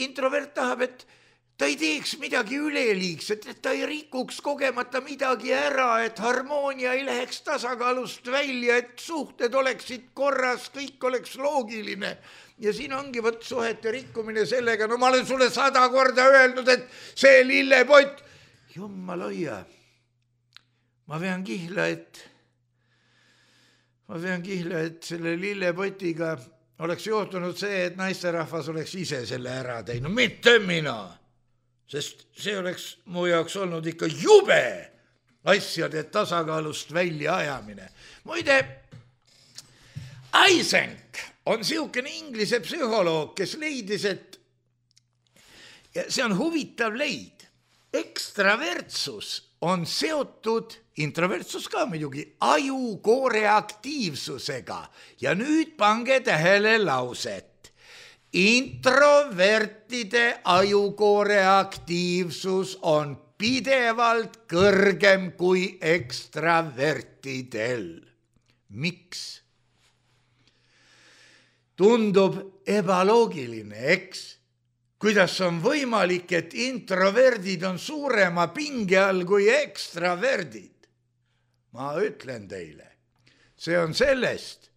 introvert tahab, et ta ei teeks midagi üleliigset, et ta ei rikuks kogemata midagi ära, et harmoonia ei läheks tasakaalust välja, et suhted oleksid korras, kõik oleks loogiline. Ja siin ongi suhete rikkumine sellega, ma olen sulle 100 korda öelnud, et see lillepott, jummala hoia, ma vean kihla, et selle lillepotiga oleks juhtunud see, et naisterahvas oleks ise selle ära teinud, mitte mina. Sest see oleks mu jaoks olnud ikka jube asjade tasakaalust välja ajamine. Muide, Eysenck on siukene inglise psühholoog, kes leidis, et see on huvitav leid. Ekstravertsus on seotud, introvertsus ka muidugi, ajukoore aktiivsusega. Ja nüüd pange tähele lauset. Introvertide ajukoore aktiivsus on pidevalt kõrgem kui ekstravertidel. Miks? Tundub ebaloogiline, eks? Kuidas on võimalik, et introverdid on suurema pinge all kui ekstraverdid? Ma ütlen teile, see on sellest,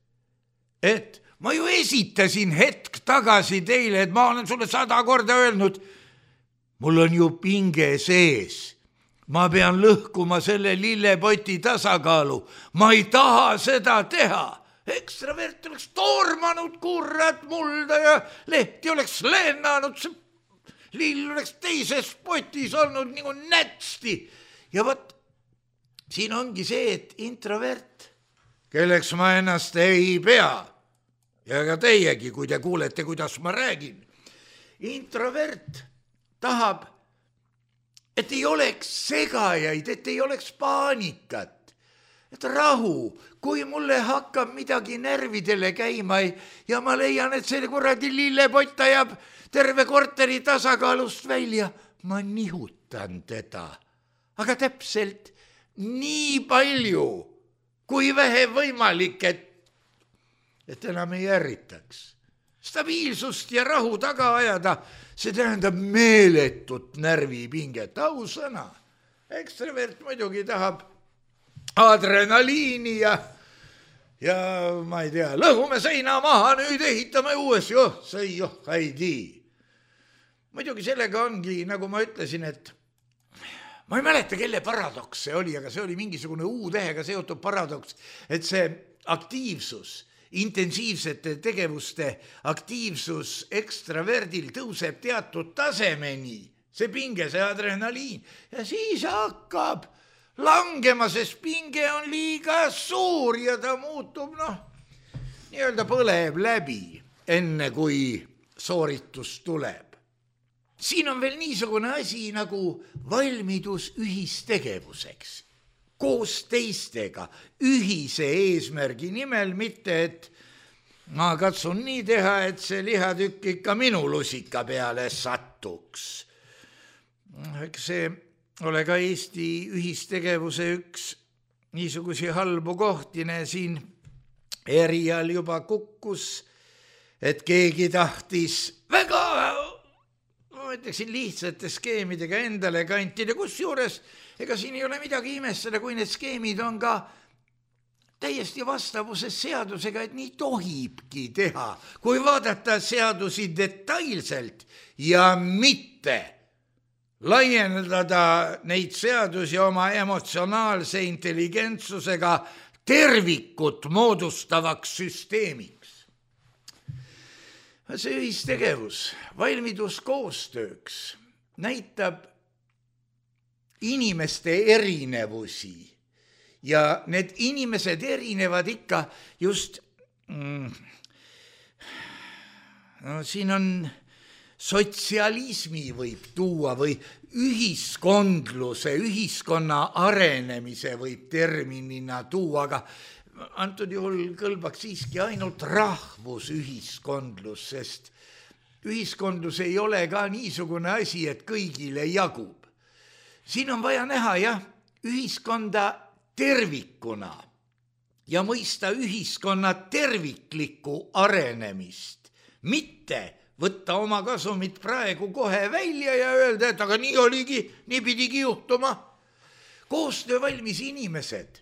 et ma ju esitasin hetk tagasi teile, et ma olen sulle 100 korda öelnud, mul on ju pinge sees. Ma pean lõhkuma selle lillepoti tasakaalu. Ma ei taha seda teha. Ekstravert oleks tormanud kurat mulda ja lehti oleks lennanud, see lill oleks teises potis olnud nagu nätsti. Ja siin ongi see, et introvert, kelleks ma ennast ei pea, ja ka teiegi, kui te kuulete, kuidas ma räägin, introvert tahab, et ei oleks segajaid, et ei oleks paanikat. Et rahu, kui mulle hakkab midagi närvidele käima ja ma leian, et see kuradi lillepott ajab terve korteri tasakaalust välja, ma nihutan teda. Aga täpselt nii palju, kui vähe võimalik, et enam ei ärritaks. Stabiilsust ja rahu taga ajada, see tähendab meeletut närvipinget, ausõna. Ekstravert muidugi tahab adrenaliini ja ma ei tea, lõhume seina maha, nüüd ehitame uues, see ei tii. Muidugi sellega ongi, nagu ma ütlesin, et ma ei mäleta, kelle paradoks see oli, aga see oli mingisugune U-tähega seotud paradoks, et see aktiivsus, intensiivsete tegevuste aktiivsus ekstraverdil tõuseb teatud tasemeni, see pinge, see adrenaliin, ja siis hakkab langema, sest pinge on liiga suur ja ta muutub, nii-öelda põleb läbi, enne kui sooritus tuleb. Siin on veel niisugune asi nagu valmidus ühistegevuseks, koos teistega, ühise eesmärgi nimel, mitte et ma katsun nii teha, et see lihatükk ikka minu lusika peale satuks. Eks see ole ka Eesti ühistegevuse üks niisugusi halbu kohtine siin erial juba kukkus, et keegi tahtis väga, ma ütleksin, lihtsate skeemidega endale kantida, kusjuures ega siin ei ole midagi imestada, kui need skeemid on ka täiesti vastavuses seadusega, et nii tohibki teha, kui vaadata seadusi detailselt ja mitte laiendada neid seadusi oma emotsionaalse intelligentsusega tervikut moodustavaks süsteemiks. See ühistegevus, valmidus koostööks näitab inimeste erinevusi ja need inimesed erinevad ikka just, siin on sotsialismi võib tuua või ühiskondluse, ühiskonna arenemise võib terminina tuua, aga antud juhul kõlbaks siiski ainult rahvusühiskondlus, sest ühiskondlus ei ole ka niisugune asi, et kõigile jagub. Siin on vaja näha, ühiskonda tervikuna ja mõista ühiskonna terviklikku arenemist, mitte võtta oma kasumit praegu kohe välja ja öelda, et aga nii oligi, nii pidigi juhtuma. Koostöövalmis inimesed,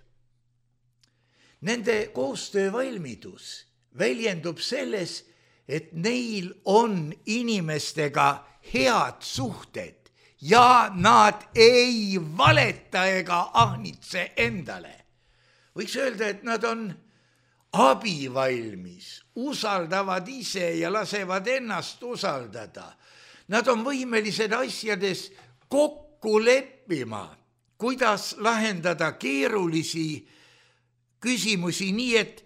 nende koostöövalmidus väljendub selles, et neil on inimestega head suhted ja nad ei valeta ega ahnitse endale. Võiks öelda, et nad on abivalmis, usaldavad ise ja lasevad ennast usaldada. Nad on võimelised asjades kokku leppima, kuidas lahendada keerulisi küsimusi nii, et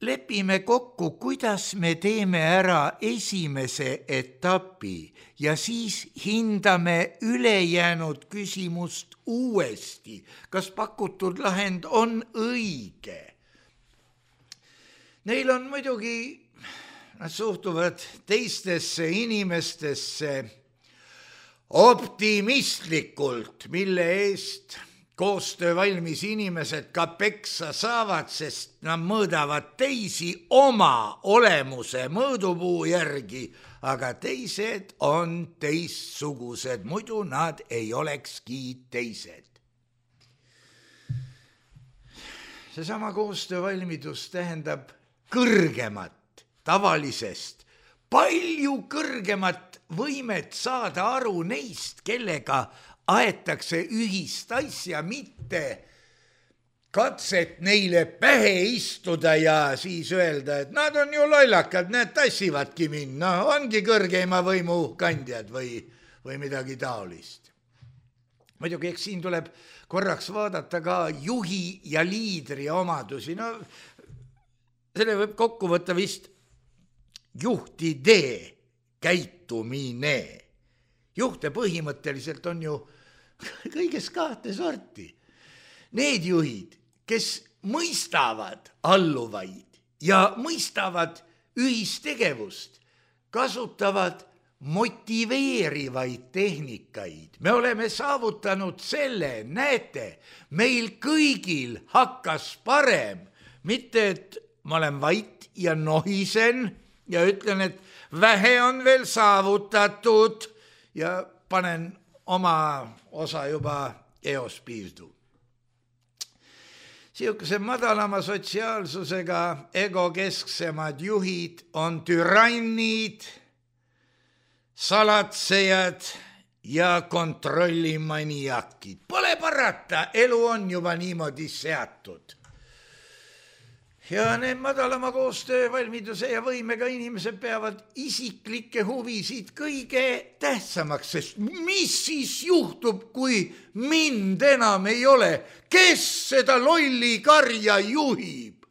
lepime kokku, kuidas me teeme ära esimese etapi ja siis hindame ülejäänud küsimust uuesti, kas pakutud lahend on õige. Neil on muidugi, nad suhtuvad teistesse inimestesse optimistlikult, mille eest koostöövalmis inimesed ka peksa saavad, sest nad mõõdavad teisi oma olemuse mõõdupuu järgi, aga teised on teistsugused, muidu nad ei olekski teised. Seesama koostöövalmidus tähendab kõrgemat tavalisest, palju kõrgemat võimet saada aru neist, kellega aetakse ühist asja, mitte katset neile pähe istuda ja siis öelda, et nad on ju lollakad, need tassivadki mind, ongi kõrgeima võimu kandjad või midagi taolist. Muidugi, eks siin tuleb korraks vaadata ka juhi ja liidri omadusi, selle võib kokku võtta vist juhtide käitumine. Juhte põhimõtteliselt on ju kõigest kahte sorti. Need juhid, kes mõistavad alluvaid ja mõistavad ühistegevust, kasutavad motiveerivaid tehnikaid. Me oleme saavutanud selle, näete, meil kõigil hakkas parem, mitte et ma olen vait ja nohisen ja ütlen, et vähe on veel saavutatud ja panen oma osa juba eos piirdu. Siukese madalama sotsiaalsusega egokesksemad juhid on türannid, salatsejad ja kontrollimaniakid. Pole parata, elu on juba niimoodi seatud. Ja need madalama koostöövalmiduse ja võimega inimesed peavad isiklikke huvisid kõige tähtsamaks, sest mis siis juhtub, kui mind enam ei ole? Kes seda lolli karja juhib?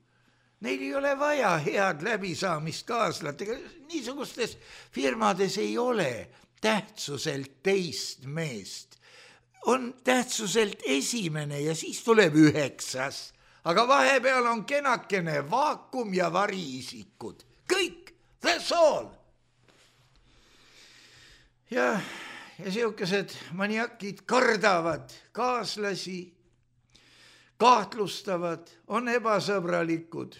Neil ei ole vaja head läbisaamist kaaslatega. Niisugustes firmades ei ole tähtsuselt teist meest. On tähtsuselt esimene ja siis tuleb 9. Aga vahepeal on kenakene vaakum ja variisikud. Kõik, that's all. Ja siukesed maniakid kardavad kaaslasi, kahtlustavad, on ebasõbralikud.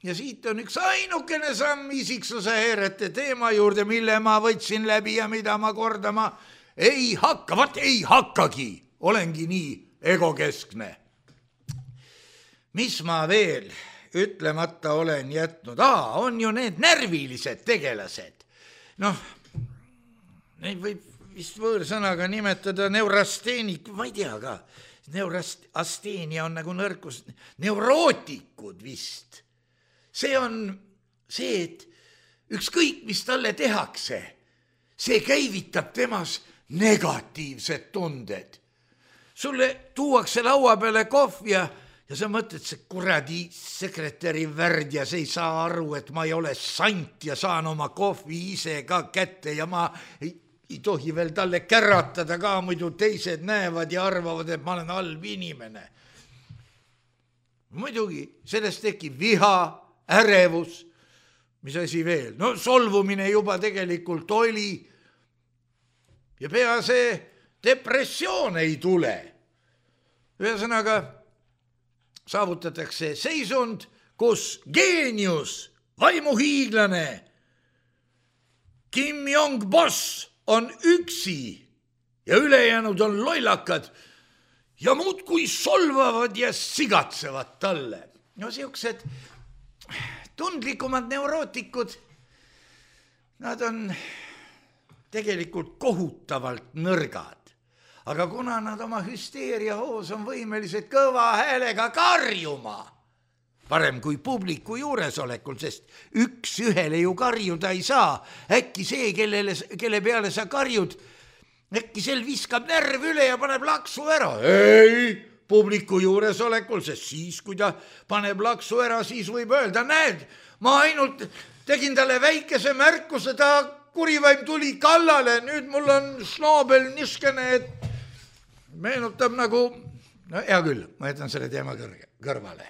Ja siit on üks ainukene samm isiksuse häirete teema juurde, mille ma võtsin läbi ja mida ma kordama ei hakka. Vat ei hakkagi, olengi nii egokeskne. Mis ma veel ütlemata olen jätnud? On ju need närvilised tegelased. Neid võib vist võõrsõnaga nimetada neurasteenik, ma ei tea ka. Neurasteenia on nagu nõrkus. Neurootikud vist. See on see, et ükskõik, mis talle tehakse, see käivitab temas negatiivsed tunded. Sulle tuuakse laua peale kohv ja sa mõtled, see kuradi sekretäri värd ja see ei saa aru, et ma ei ole sant ja saan oma kohvi ise ka kätte ja ma ei tohi veel talle käratada ka, muidu teised näevad ja arvavad, et ma olen halb inimene. Muidugi, sellest tekib viha, ärevus, mis asi veel? Solvumine juba tegelikult oli ja pea see depressioon ei tule. Ühesõnaga, saavutatakse seisund, kus geenius, vaimuhiiglane Kim Jong-boss on üksi ja ülejäänud on lollakad ja muudkui solvavad ja sigatsevad talle. Siuksed tundlikumad neurootikud, nad on tegelikult kohutavalt nõrgad. Aga kuna nad oma hüsteeria hoos on võimelised kõva häälega karjuma, parem kui publiku juuresolekul, sest üks ühele ju karjuda ei saa. Äkki see, kelle peale sa karjud, äkki sel viskab närv üle ja paneb laksu ära. Ei, publiku juuresolekul, sest siis, kui ta paneb laksu ära, siis võib öelda, näed, ma ainult tegin talle väikese märkuse, ta kurivaim tuli kallale, nüüd mul on šnoobel niskene, et meenutab nagu, hea küll, ma jätan selle teema kõrvale.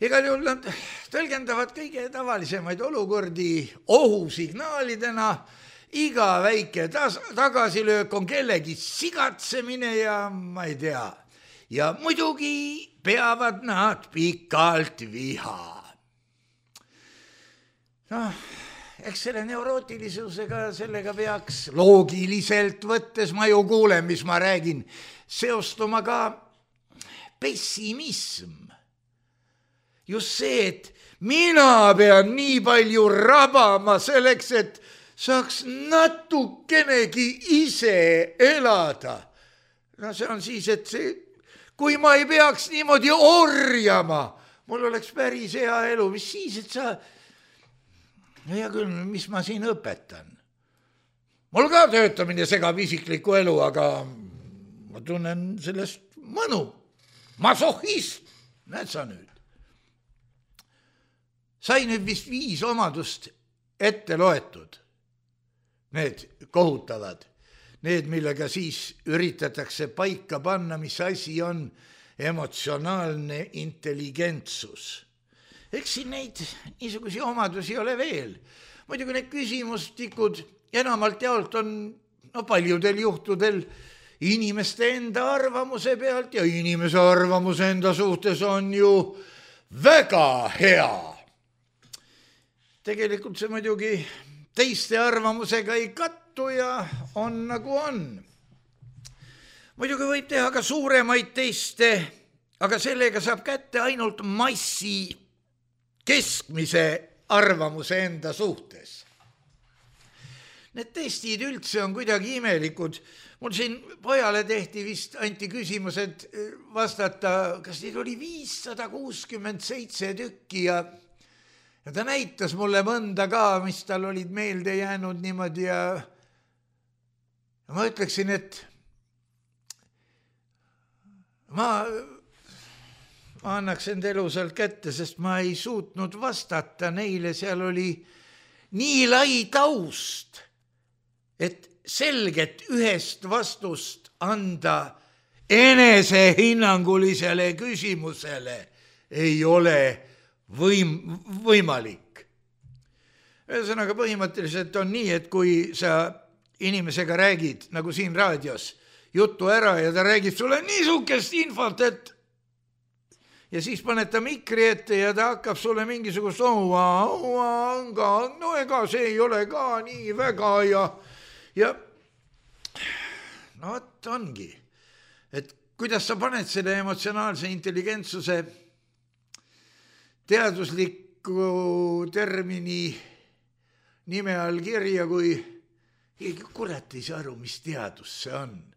Igal juhul nad tõlgendavad kõige tavalisemaid olukordi ohusignaalidena, iga väike tagasilöök on kellegi sigatsemine ja ma ei tea. Ja muidugi peavad nad pikalt viha. Eks selle neurootilisusega, sellega peaks loogiliselt võttes, ma ju kuulen, mis ma räägin, seostuma ka pessimism. Just see, et mina pean nii palju rabama selleks, et saaks natukenegi ise elada. See on siis, et kui ma ei peaks niimoodi orjama, mul oleks päris hea elu, mis siis, et sa... Ja küll, mis ma siin õpetan? Mul ka töötamine segab isiklikku elu, aga ma tunnen sellest mõnu. Masohhist, näed sa nüüd. Sai nüüd vist 5 omadust ette loetud. Need kohutavad. Need, millega siis üritatakse paika panna, mis asi on emotsionaalne intelligentsus. Eks siin neid niisugusi omadusi ei ole veel. Muidugi need küsimustikud enamalt jaolt on paljudel juhtudel inimeste enda arvamuse pealt ja inimese arvamus enda suhtes on ju väga hea. tegelikult see muidugi teiste arvamusega ei kattu ja on nagu on. Muidugi võib teha ka suuremaid teste, aga sellega saab kätte ainult massi keskmise arvamuse enda suhtes. Need testid üldse on kuidagi imelikud. Mul siin pojale tehti vist, anti küsimus, et vastata, kas neid oli 567 tükki ja ta näitas mulle mõnda ka, mis tal olid meelde jäänud niimoodi ja ma ütleksin, et ma annaks enda elu sealt kätte, sest ma ei suutnud vastata neile, seal oli nii lai taust, et selget ühest vastust anda enesehinnangulisele küsimusele ei ole võimalik. Ühesõnaga põhimõtteliselt on nii, et kui sa inimesega räägid, nagu siin raadios, juttu ära ja ta räägib sulle niisugust infot, et ja siis paned ta mikri ette ja ta hakkab sulle mingisugust no ega see ei ole ka nii väga ja no vot ongi, et kuidas sa paned selle emotsionaalse intelligentsuse teadusliku termini nime all kirja, kui keegi kurat ei saa aru, mis teadus see on.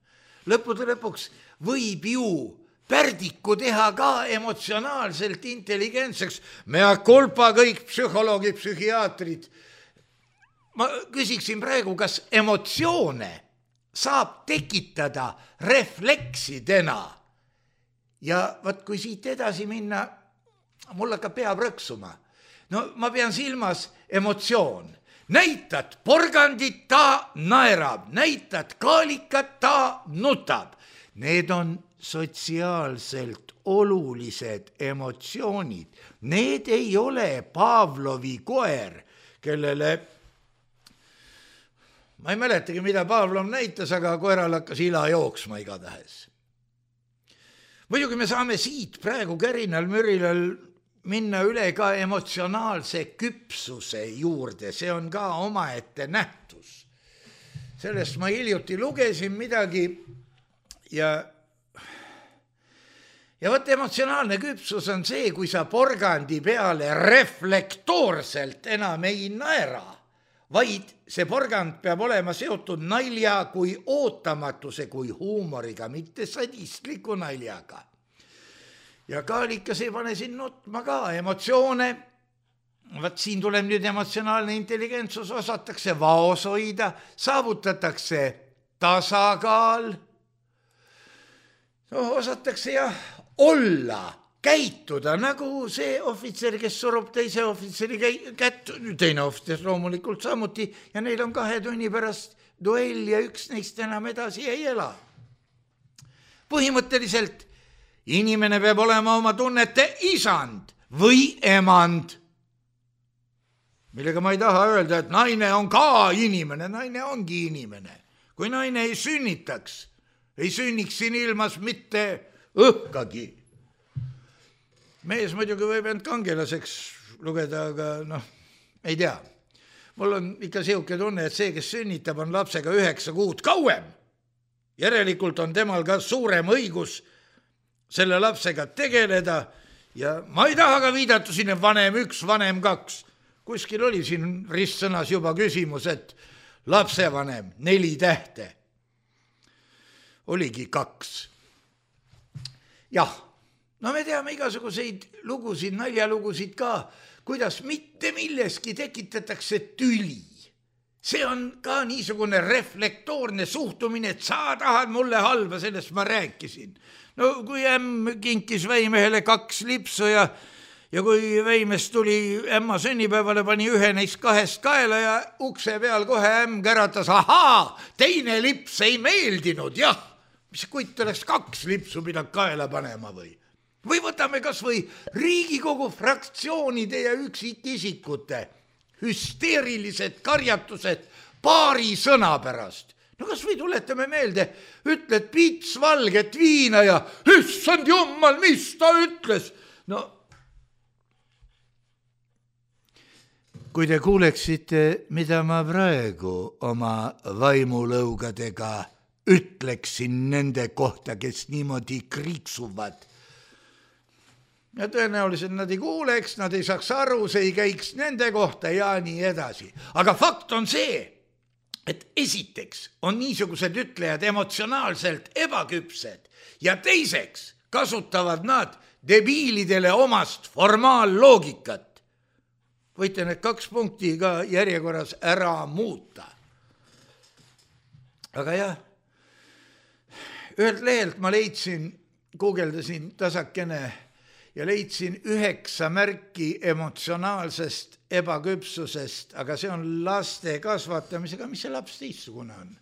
Lõppude lõpuks võib ju Pärdiku teha ka emotsionaalselt intelligentseks. Mea culpa kõik psühholoogid, psühhiaatrid. Ma küsiksin praegu, kas emotsioone saab tekitada refleksidena. Ja vaat kui siit edasi minna, mul hakkab pea prõksuma. No ma pean silmas emotsioon. Näitad porgandit, ta naerab. Näitad kaalikat, ta nutab. Need on sotsiaalselt olulised emotsioonid. Need ei ole Pavlovi koer, kellele, ma ei mäletagi, mida Pavlov näitas, aga koeral hakkas ila jooksma igatahes. Muidugi me saame siit praegu kärinal mürilal minna üle ka emotsionaalse küpsuse juurde, see on ka omaette nähtus. Sellest ma hiljuti lugesin midagi ja võt emotsionaalne küpsus on see, kui sa porgandi peale reflektoorselt enam ei naera, vaid see porgand peab olema seotud nalja kui ootamatuse, kui huumoriga, mitte sadistliku naljaga. Ja kaalikas ei pane siin nutma ka emotsioone. Vaat siin tuleb nüüd emotsionaalne intelligentsus, osatakse vaos hoida, saavutatakse tasakaal, osatakse olla, käituda nagu see ohvitser, kes surub teise ohvitseri kätt, teine ohvitser loomulikult samuti ja neil on 2 tunni pärast duell ja üks neist enam edasi ei ela. Põhimõtteliselt inimene peab olema oma tunnete isand või emand, millega ma ei taha öelda, et naine on ka inimene, naine ongi inimene. Kui naine ei sünnitaks, ei sünniks siin ilmas mitte õhkagi. Mees muidugi võib end kangelaseks lugeda, aga ei tea. Mul on ikka siuke tunne, et see, kes sünnitab, on lapsega 9 kuud kauem. Järelikult on temal ka suurem õigus selle lapsega tegeleda ja ma ei taha ka viidata siin vanem 1, vanem 2. Kuskil oli siin ristsõnas juba küsimus, et lapsevanem 4 tähte. Oligi 2. Jah, no me teame igasuguseid lugusid, naljalugusid ka, kuidas mitte milleski tekitatakse tüli. See on ka niisugune reflektoorne suhtumine, et sa tahad mulle halba, sellest ma rääkisin. No kui ämm kinkis Väimehele 2 lipsu ja kui Väimest tuli ämma sünnipäevale, pani ühe neist 2 kaela ja ukse peal kohe ämm käratas, ahaa, teine lips ei meeldinud, jah. Mis kuit oleks 2 lipsu pidanud kaela panema või? Või võtame kas või Riigikogu fraktsioonide ja üksikisikute hüsteerilised karjatused paari sõna pärast. No kas või tuletame meelde, ütled pits valget viina ja issand jummal, mis ta ütles? No kui te kuuleksite, mida ma praegu oma vaimulõugadega ütleksin nende kohta, kes niimoodi kriiksuvad. Ja tõenäoliselt nad ei kuuleks, nad ei saaks aru, see ei käiks nende kohta ja nii edasi. Aga fakt on see, et esiteks on niisugused ütlejad emotsionaalselt ebaküpsed ja teiseks kasutavad nad debiilidele omast formaalloogikat. Võite need 2 punkti ka järjekorras ära muuta. Aga jah, ühelt lehelt ma leidsin, guugeldasin tasakene ja leidsin 9 märki emotsionaalsest ebaküpsusest, aga see on laste kasvatamisega, mis see laps teistsugune on.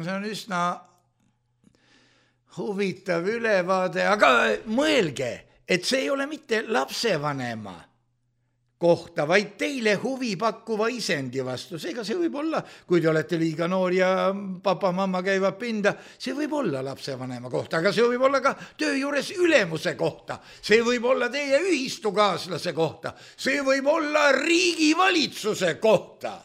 See on üsna huvitav ülevaade, aga mõelge, et see ei ole mitte lapsevanema kohta, vaid teile huvi pakkuva isendi vastu. Seega see võib olla, kui te olete liiga noor ja papa-mamma käivad pinda, see võib olla lapsevanema kohta, aga see võib olla ka töö juures ülemuse kohta. See võib olla teie ühistukaaslase kohta. See võib olla riigivalitsuse kohta.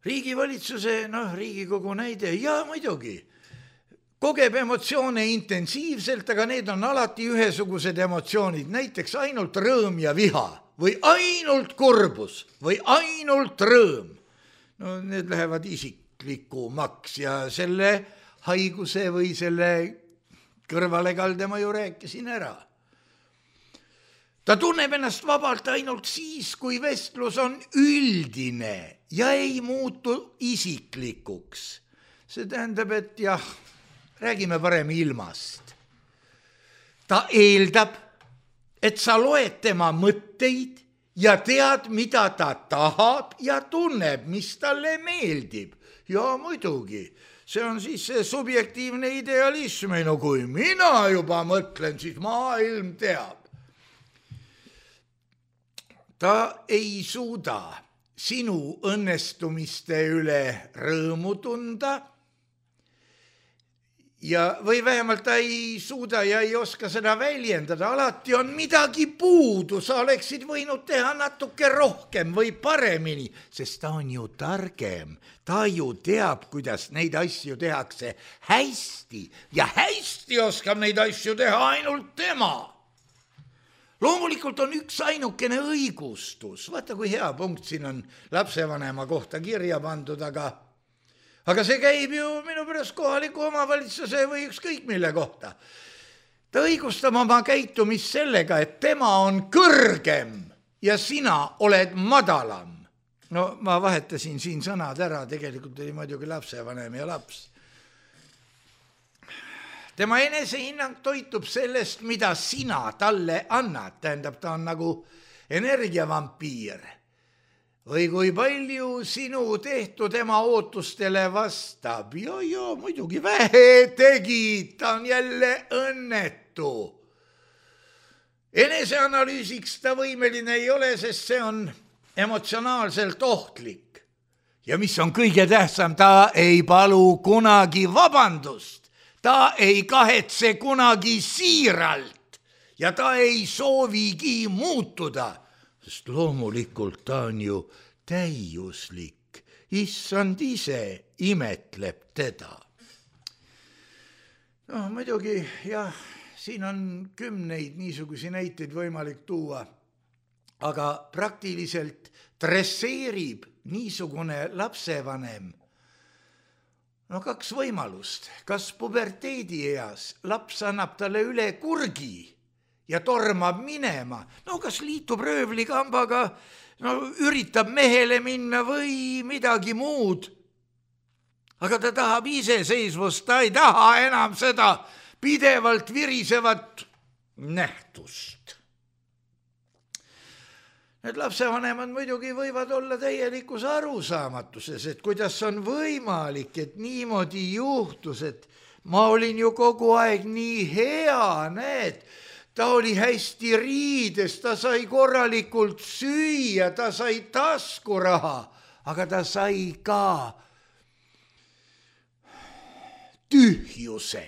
Riigivalitsuse, Riigikogu näide, ja muidugi kogeb emotsioone intensiivselt, aga need on alati ühesugused emotsioonid, näiteks ainult rõõm ja viha või ainult kurbus või ainult rõõm. No need lähevad isiklikumaks ja selle haiguse või selle kõrvalekalde ma ju rääkisin ära. Ta tunneb ennast vabalt ainult siis, kui vestlus on üldine ja ei muutu isiklikuks. See tähendab, et jah, räägime parem ilmast. Ta eeldab, et sa loed tema mõtteid ja tead, mida ta tahab ja tunneb, mis talle meeldib. Ja muidugi, see on siis see subjektiivne idealism. No kui mina juba mõtlen, siis maailm teab. Ta ei suuda sinu õnnestumiste üle rõõmu tunda, või vähemalt ta ei suuda ja ei oska seda väljendada. Alati on midagi puudu, sa oleksid võinud teha natuke rohkem või paremini, sest ta on ju targem. Ta ju teab, kuidas neid asju tehakse hästi ja hästi oskab neid asju teha ainult tema. Loomulikult on üks ainukene õigustus. Vaata, kui hea punkt siin on lapsevanema kohta kirja pandud, aga see käib ju minu pärast kohaliku omavalitsuse või ükskõik mille kohta. Ta õigustab oma käitumist sellega, et tema on kõrgem ja sina oled madalam. No ma vahetasin siin sõnad ära, tegelikult oli muidugi lapsevanem ja laps. Tema enesehinnang toitub sellest, mida sina talle annad. Tähendab, ta on nagu energiavampiir. Või kui palju sinu tehtu tema ootustele vastab. Ja, muidugi vähe tegid, ta on jälle õnnetu. Eneseanalüüsiks ta võimeline ei ole, sest see on emotsionaalselt ohtlik. Ja mis on kõige tähtsam, ta ei palu kunagi vabandust. Ta ei kahetse kunagi siiralt ja ta ei soovigi muutuda, sest loomulikult ta on ju täiuslik. Issand ise imetleb teda. No muidugi, jah, siin on 10 niisugusi näiteid võimalik tuua, aga praktiliselt dresseerib niisugune lapsevanem 2 võimalust. Kas puberteedi eas laps annab talle üle kurgi ja tormab minema? Kas liitub röövlikambaga, üritab mehele minna või midagi muud. Aga ta tahab iseseisvust, ta ei taha enam seda pidevalt virisevat nähtust. Need lapsevanemad muidugi võivad olla täielikus arusaamatuses, et kuidas on võimalik, et niimoodi juhtus, et ma olin ju kogu aeg nii hea, näed, ta oli hästi riides, ta sai korralikult süüa, ta sai taskuraha, aga ta sai ka tühjuse,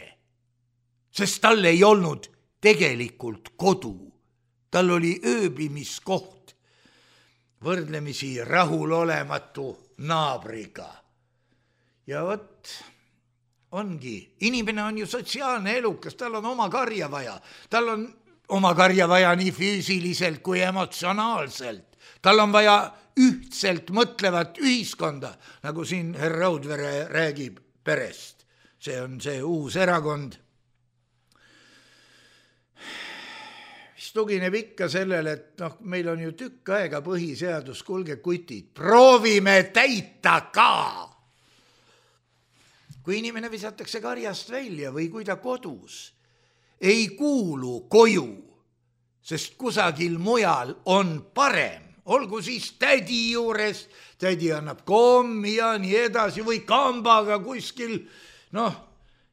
sest tal ei olnud tegelikult kodu. tal oli ööbimiskoht võrdlemisi rahulolematu naabriga. Ja vot ongi, inimene on ju sotsiaalne elukas, tal on oma karja vaja. Tal on oma karja vaja nii füüsiliselt kui emotsionaalselt. Tal on vaja ühtselt mõtlevat ühiskonda, nagu siin herr Raudvere räägib perest. See on see uus erakond. Mis tugineb ikka sellele, et meil on ju tükk aega põhiseadus, kuulge kutid, proovime täita ka. Kui inimene visatakse karjast välja või kui ta kodus ei kuulu koju, sest kusagil mujal on parem, olgu siis tädi juures, tädi annab kommi ja nii edasi või kambaga kuskil,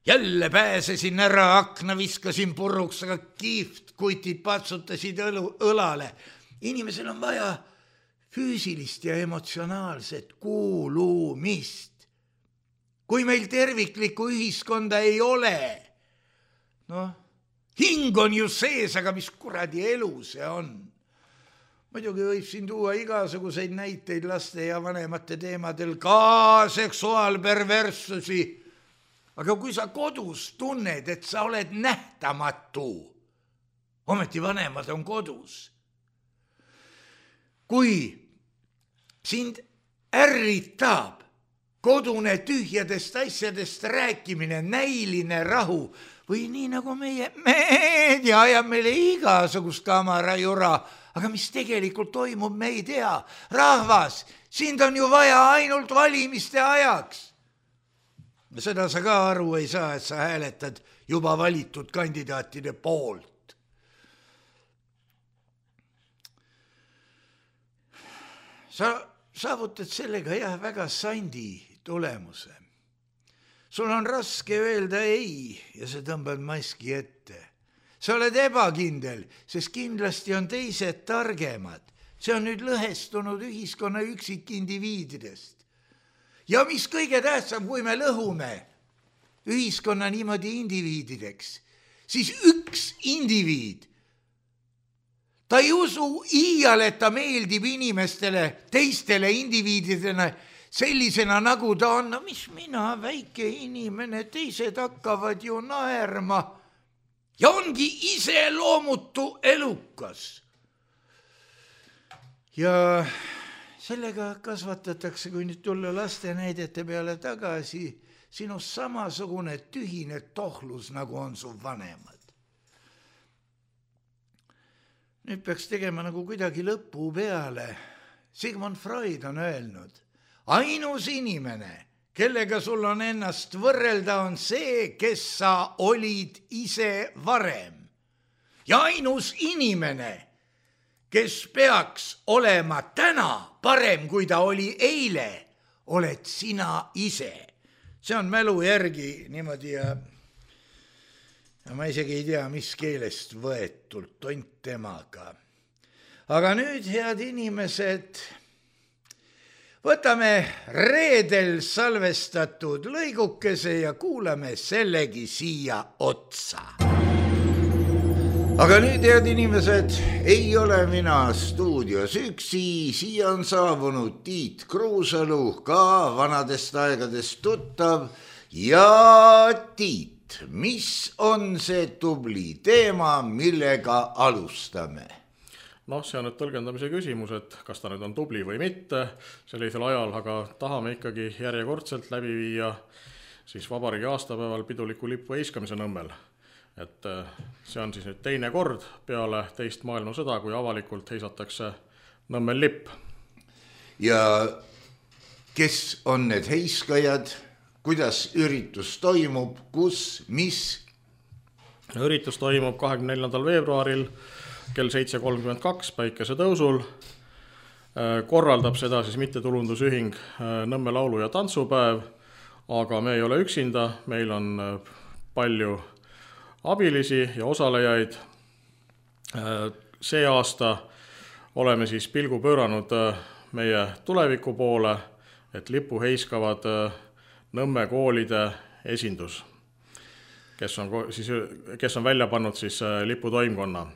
jälle pääsesin ära, akna viskasin puruks, aga kihvt kutid patsutasid õlale. Inimesel on vaja füüsilist ja emotsionaalset kuulumist. Kui meil terviklikku ühiskonda ei ole, hing on ju sees, aga mis kuradi elu see on? Muidugi võib siin tuua igasuguseid näiteid laste ja vanemate teemadel, ka seksuaalperverssusi. Aga kui sa kodus tunned, et sa oled nähtamatu, ometi vanemad on kodus. Kui sind ärritab kodune tühjadest asjadest rääkimine, näiline rahu või nii nagu meie meedia ajab meile igasugust kamarajura, aga mis tegelikult toimub, me ei tea. Rahvas, sind on ju vaja ainult valimiste ajaks. Seda sa ka aru ei saa, et sa hääletad juba valitud kandidaatide poolt. Sa saavutad sellega väga sandi tulemuse. Sul on raske öelda ei ja sa tõmbad maski ette. Sa oled ebakindel, sest kindlasti on teised targemad. See on nüüd lõhestunud ühiskonna üksikindiviididest. Ja mis kõige tähtsam, kui me lõhume ühiskonna niimoodi indiviidideks, siis üks indiviid, ta ei usu iial, et ta meeldib inimestele, teistele indiviididena sellisena, nagu ta on. Mis mina, väike inimene, teised hakkavad ju naerma. Ja ongi iseloomutu elukas. Ja sellega kasvatatakse, kui nüüd tulla laste näidete peale tagasi, sinust samasugune tühine tohlus, nagu on su vanemad. Nüüd peaks tegema nagu kuidagi lõpu peale. Sigmund Freud on öelnud, ainus inimene, kellega sul on ennast võrrelda, on see, kes sa olid ise varem. Ja ainus inimene, kes peaks olema täna parem, kui ta oli eile, oled sina ise. See on mälu järgi niimoodi ja ma isegi ei tea, mis keelest võetult, tont temaga. Aga nüüd, head inimesed, võtame reedel salvestatud lõigukese ja kuulame sellegi siia otsa. Aga nüüd, head inimesed, ei ole mina stuudios üksi, siia on saabunud Tiit Kruusalu, ka vanadest aegadest tuttav. Ja Tiit, mis on see tubli teema, millega alustame? See on nüüd tõlgendamise küsimus, et kas ta nüüd on tubli või mitte sellisel ajal, aga tahame ikkagi järjekordselt läbi viia siis vabariigi aastapäeval piduliku lipu heiskamise Nõmmel. Et see on siis nüüd teine kord peale teist maailmasõda, kui avalikult heisatakse Nõmmel lipp. Ja kes on need heiskajad, kuidas üritus toimub, kus, mis? Üritus toimub 24. veebruaril kell 7.32 päikese tõusul. Korraldab seda siis mittetulundusühing Nõmme laulu- ja tantsupäev, aga me ei ole üksinda, meil on palju abilisi ja osalejaid. See aasta oleme siis pilgu pööranud meie tuleviku poole, et lipu heiskavad Nõmme koolide esindus, kes on välja pannud siis liputoimkonna.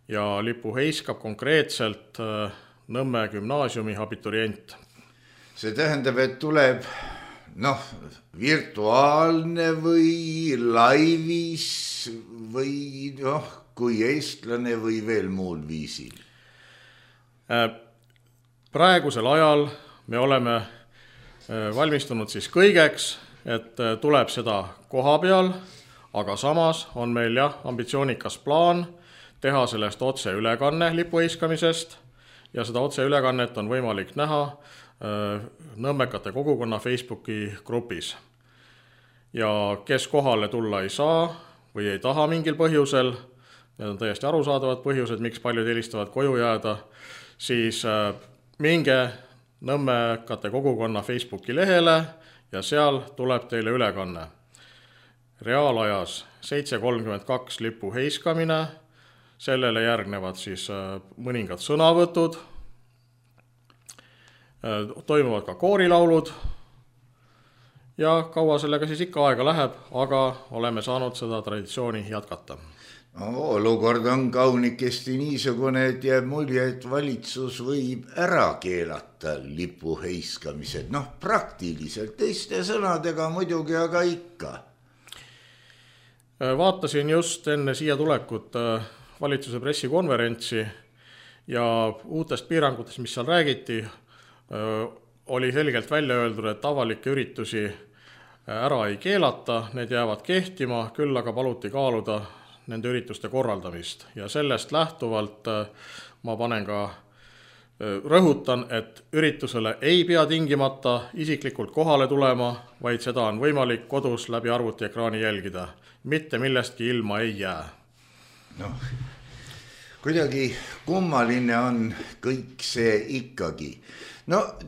ja lipu heiskab konkreetselt Nõmme gümnaasiumi abiturient. See tähendab, et tuleb virtuaalne või laivis või kui eestlane või veel muul viisil? Praegusel ajal me oleme valmistunud siis kõigeks, et tuleb seda koha peal, aga samas on meil ambitsioonikas plaan teha sellest otseülekanne lipu heiskamisest ja seda otseülekannet on võimalik näha Nõmmekate kogukonna Facebooki grupis. Ja kes kohale tulla ei saa või ei taha mingil põhjusel, need on täiesti arusaadavad põhjused, miks paljud eelistavad koju jääda, siis minge Nõmmekate kogukonna Facebooki lehele ja seal tuleb teile ülekanne. Reaalajas 7:32 lipu heiskamine, sellele järgnevad siis mõningad sõnavõtud, toimuvad ka koorilaulud ja kaua sellega siis ikka aega läheb, aga oleme saanud seda traditsiooni jätkata. Olukord on kaunikesti niisugune, et jääb mulje, et valitsus võib ära keelata lipu heiskamised. Praktiliselt teiste sõnadega muidugi, aga ikka. Vaatasin just enne siia tulekut valitsuse pressikonverentsi ja uutest piirangutest, mis seal räägiti, oli selgelt välja öeldud, et avalikke üritusi ära ei keelata, need jäävad kehtima, küll aga paluti kaaluda nende ürituste korraldamist ja sellest lähtuvalt ma rõhutan, et üritusele ei pea tingimata isiklikult kohale tulema, vaid seda on võimalik kodus läbi arvutiekraani jälgida. Mitte millestki ilma ei jää. Kuidagi kummaline on kõik see ikkagi.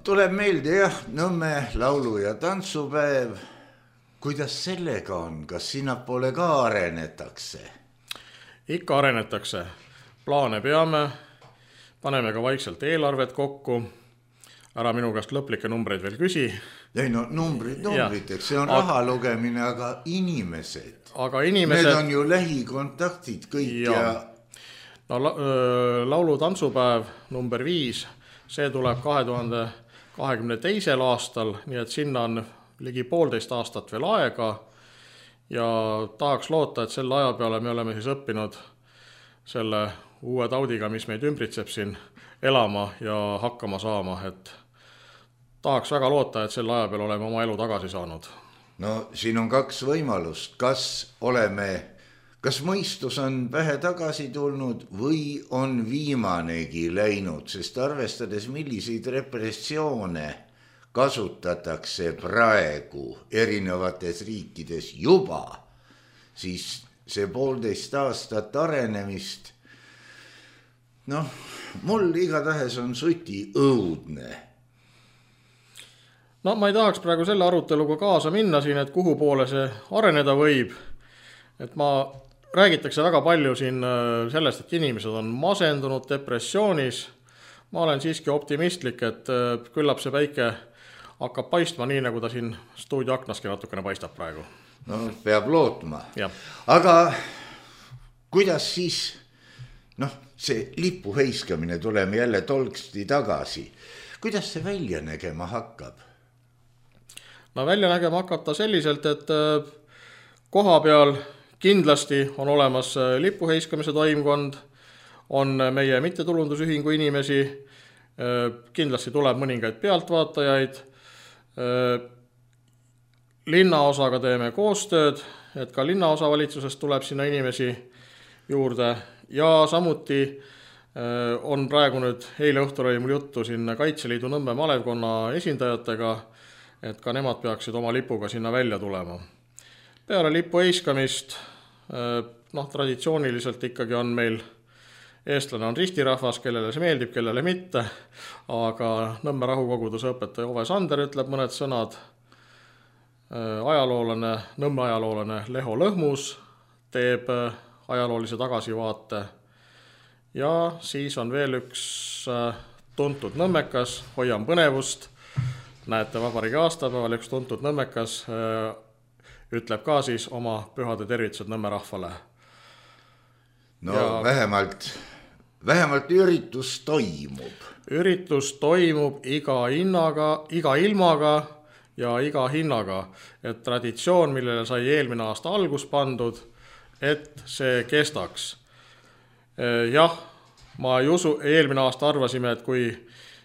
Tuleb meelde Nõmme laulu- ja tantsupäev. Kuidas sellega on? Kas sinnapoole ka arenetakse? Ikka arenetakse. Plaane peame, paneme ka vaikselt eelarvet kokku. Ära minu käest lõplikke numbreid veel küsi. Ei numbriteks, see on raha lugemine, aga inimesed. Need on ju lähikontaktid kõik ja... Laulu-tantsupäev number 5, see tuleb 2022. aastal, nii et sinna on ligi 1,5 aastat veel aega ja tahaks loota, et selle aja peale me oleme siis õppinud selle uue taudiga, mis meid ümbritseb siin elama ja hakkama saama, et tahaks väga loota, et selle aja peal oleme oma elu tagasi saanud. Siin on 2 võimalust, kas mõistus on pähe tagasi tulnud või on viimanegi läinud, sest arvestades milliseid repressioone kasutatakse praegu erinevates riikides juba, siis see 1,5 aastat arenemist, mul igatahes on suti õudne. Ma ei tahaks praegu selle aruteluga kaasa minna siin, et kuhu poole see areneda võib, et räägitakse väga palju siin sellest, et inimesed on masendunud depressioonis. Ma olen siiski optimistlik, et küllap see päike hakkab paistma nii, nagu ta siin stuudioaknaski natukene paistab praegu. Peab lootma. Ja. Aga kuidas siis, see lipu heiskamine, tuleme jälle tolksti tagasi. Kuidas see välja nägema hakkab? Välja nägema hakkab ta selliselt, et koha peal kindlasti on olemas lipu heiskamise toimkond, on meie mittetulundusühingu inimesi, kindlasti tuleb mõningaid pealtvaatajaid, linnaosaga teeme koostööd, et ka linnaosavalitsusest tuleb sinna inimesi juurde ja samuti on praegu nüüd, eile õhtul oli mul juttu siin Kaitseliidu Nõmme malevkonna esindajatega, et ka nemad peaksid oma lipuga sinna välja tulema. Peale lipu heiskamist, traditsiooniliselt ikkagi on meil eestlane on ristirahvas, kellele see meeldib, kellele mitte, aga Nõmme rahukoguduse õpetaja Ove Sander ütleb mõned sõnad. Nõmme ajaloolane Leho Lõhmus teeb ajaloolise tagasivaate ja siis on veel üks tuntud nõmmekas, hoian põnevust, näete vabariigi aastapäeval üks tuntud nõmmekas ütleb ka siis oma pühade tervitused Nõmme rahvale. Vähemalt vähemalt üritus toimub. Üritus toimub iga ilmaga ja iga hinnaga, et traditsioon, millele sai eelmine aasta algus pandud, et see kestaks. Jah, ma ei usu, eelmine aasta arvasime, et kui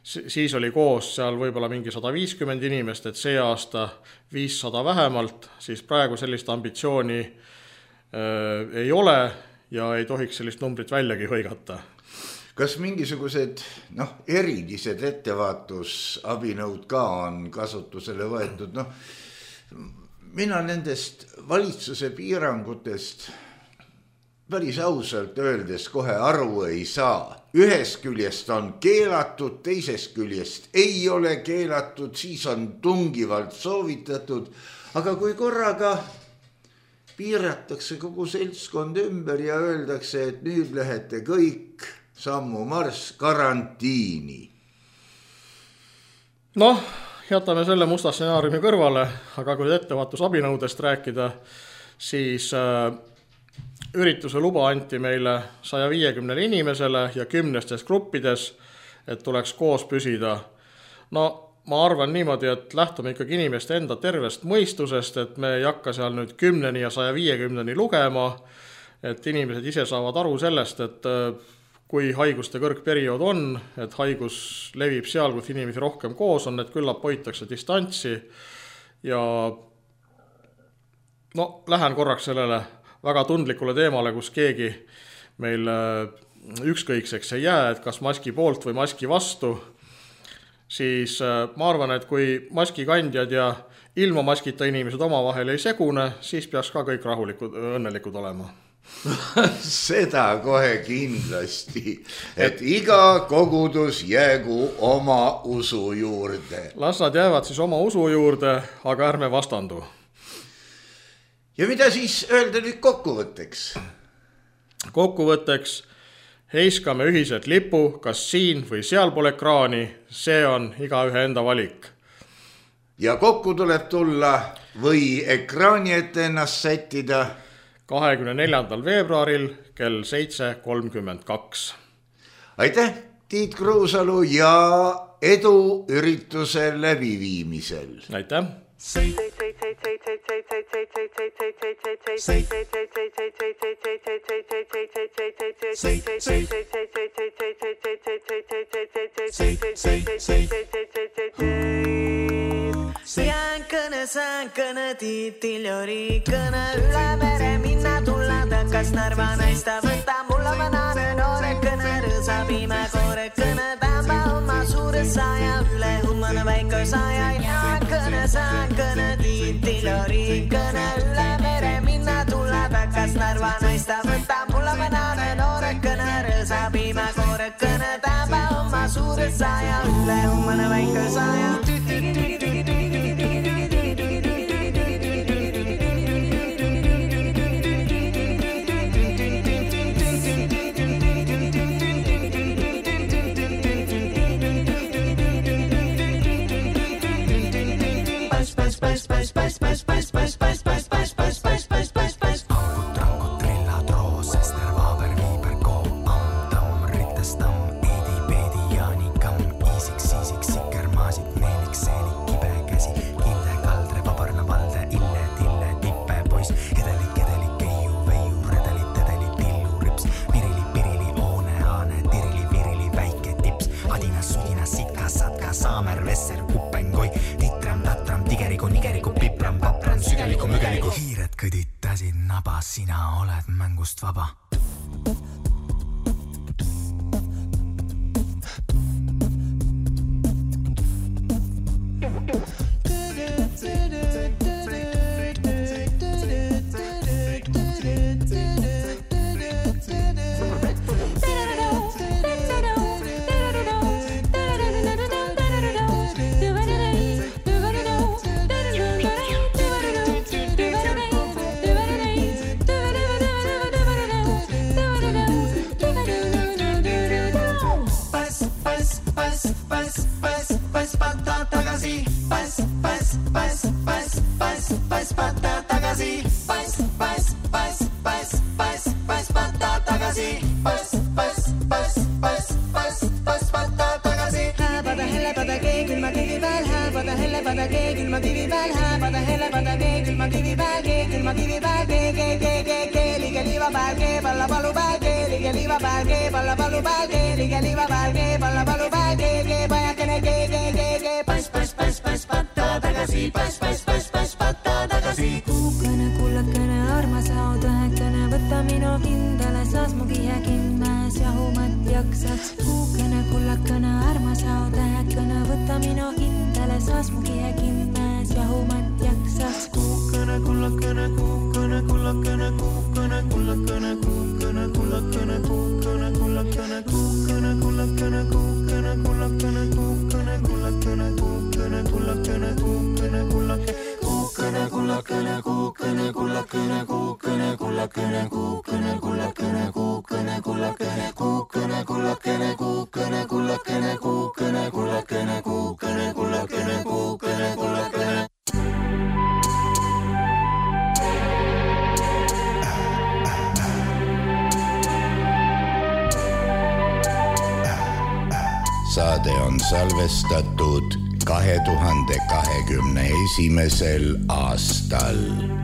siis oli koos seal võib-olla mingi 150 inimest, et see aasta 500 vähemalt, siis praegu sellist ambitsiooni ei ole ja ei tohiks sellist numbrit väljagi hõigata. Kas mingisugused erilised ettevaatusabinõud ka on kasutusele võetud? Mina nendest valitsuse piirangutest päris ausalt öeldes kohe aru ei saa. Ühest küljest on keelatud, teisest küljest ei ole keelatud, siis on tungivalt soovitatud, aga kui korraga piiratakse kogu seltskond ümber ja öeldakse, et nüüd lähete kõik sammu marss karantiini. Jätame selle musta stsenaariumi kõrvale, aga kui ettevaatusabinõudest rääkida, siis ürituse luba anti meile 150 inimesele ja 10 gruppides, et tuleks koos püsida. Ma arvan niimoodi, et lähtume ikkagi inimeste enda tervest mõistusest, et me ei hakka seal nüüd 10 ja 150 lugema, et inimesed ise saavad aru sellest, et kui haiguste kõrgperiood on, et haigus levib seal, kus inimesi rohkem koos on, et küllap hoitakse distantsi ja lähen korraks sellele väga tundlikule teemale, kus keegi meil ükskõikseks ei jää, et kas maski poolt või maski vastu, siis ma arvan, et kui maskikandjad ja ilma maskita inimesed omavahel ei segune, siis peaks ka kõik rahulikud, õnnelikud olema. Seda kohe kindlasti, et iga kogudus jäägu oma usu juurde. Las nad jäävad siis oma usu juurde, aga ärme vastandu. Ja mida siis öelda nüüd kokkuvõtteks? Kokkuvõtteks heiskame ühiselt lipu, kas siin või seal pole ekraani, see on igaühe enda valik. Ja kokku tuleb tulla või ekraani ette ennast sättida 24. veebruaril kell 7:32. Aitäh, Tiit Kruusalu ja edu ürituse läbiviimisel. Aitäh. Säänkõne tiitil jori kõne üle mere minna tulla takas Narva naista võtta mulla vanane noore kõne rõõsapime koore kõne tämba oma suure saja üle hummane väike saja ja kõne tiitil jori kõne üle mere minna tulla takas Narva naista võtta mulla vanane noore kõne rõõsapime koore kõne tämba oma suure saja üle hummane väike saja sina oled mängust vaba. palu palge, ligeliva palge, palla palu palge, ligeliva palge, palla palu palge, pajakene, pas, patta tagasi, pas, patta tagasi. Kuukene, kullakene, armas laud õhekene, võta minu kindale, saas mu kihe kinnas ja huumat jaksaks. Kuukene, kullakene, armas laud õhekene, võta minu kindale, saas mu kihe kinnas ja huumat jaksaks. Kuukene, kullakene, kuukene, kullakene, kuukene, kullakene, kuukene, kullakene, kuukene, kullakene, kuukene, kullakene, kuukene, kullakene, kuukene, kullakene, kuukene, kullakene, kuukene, kullakene, kuukene, kullakene, kuukene, kullakene, kuukene, kullakene, kuukene, kullakene, kuukene, kullakene, kuukene, kullakene, kuukene, kullakene, kuukene, kullakene, kuukene, kullakene, kuukene, kullakene. Saade on salvestatud 2021. aastal.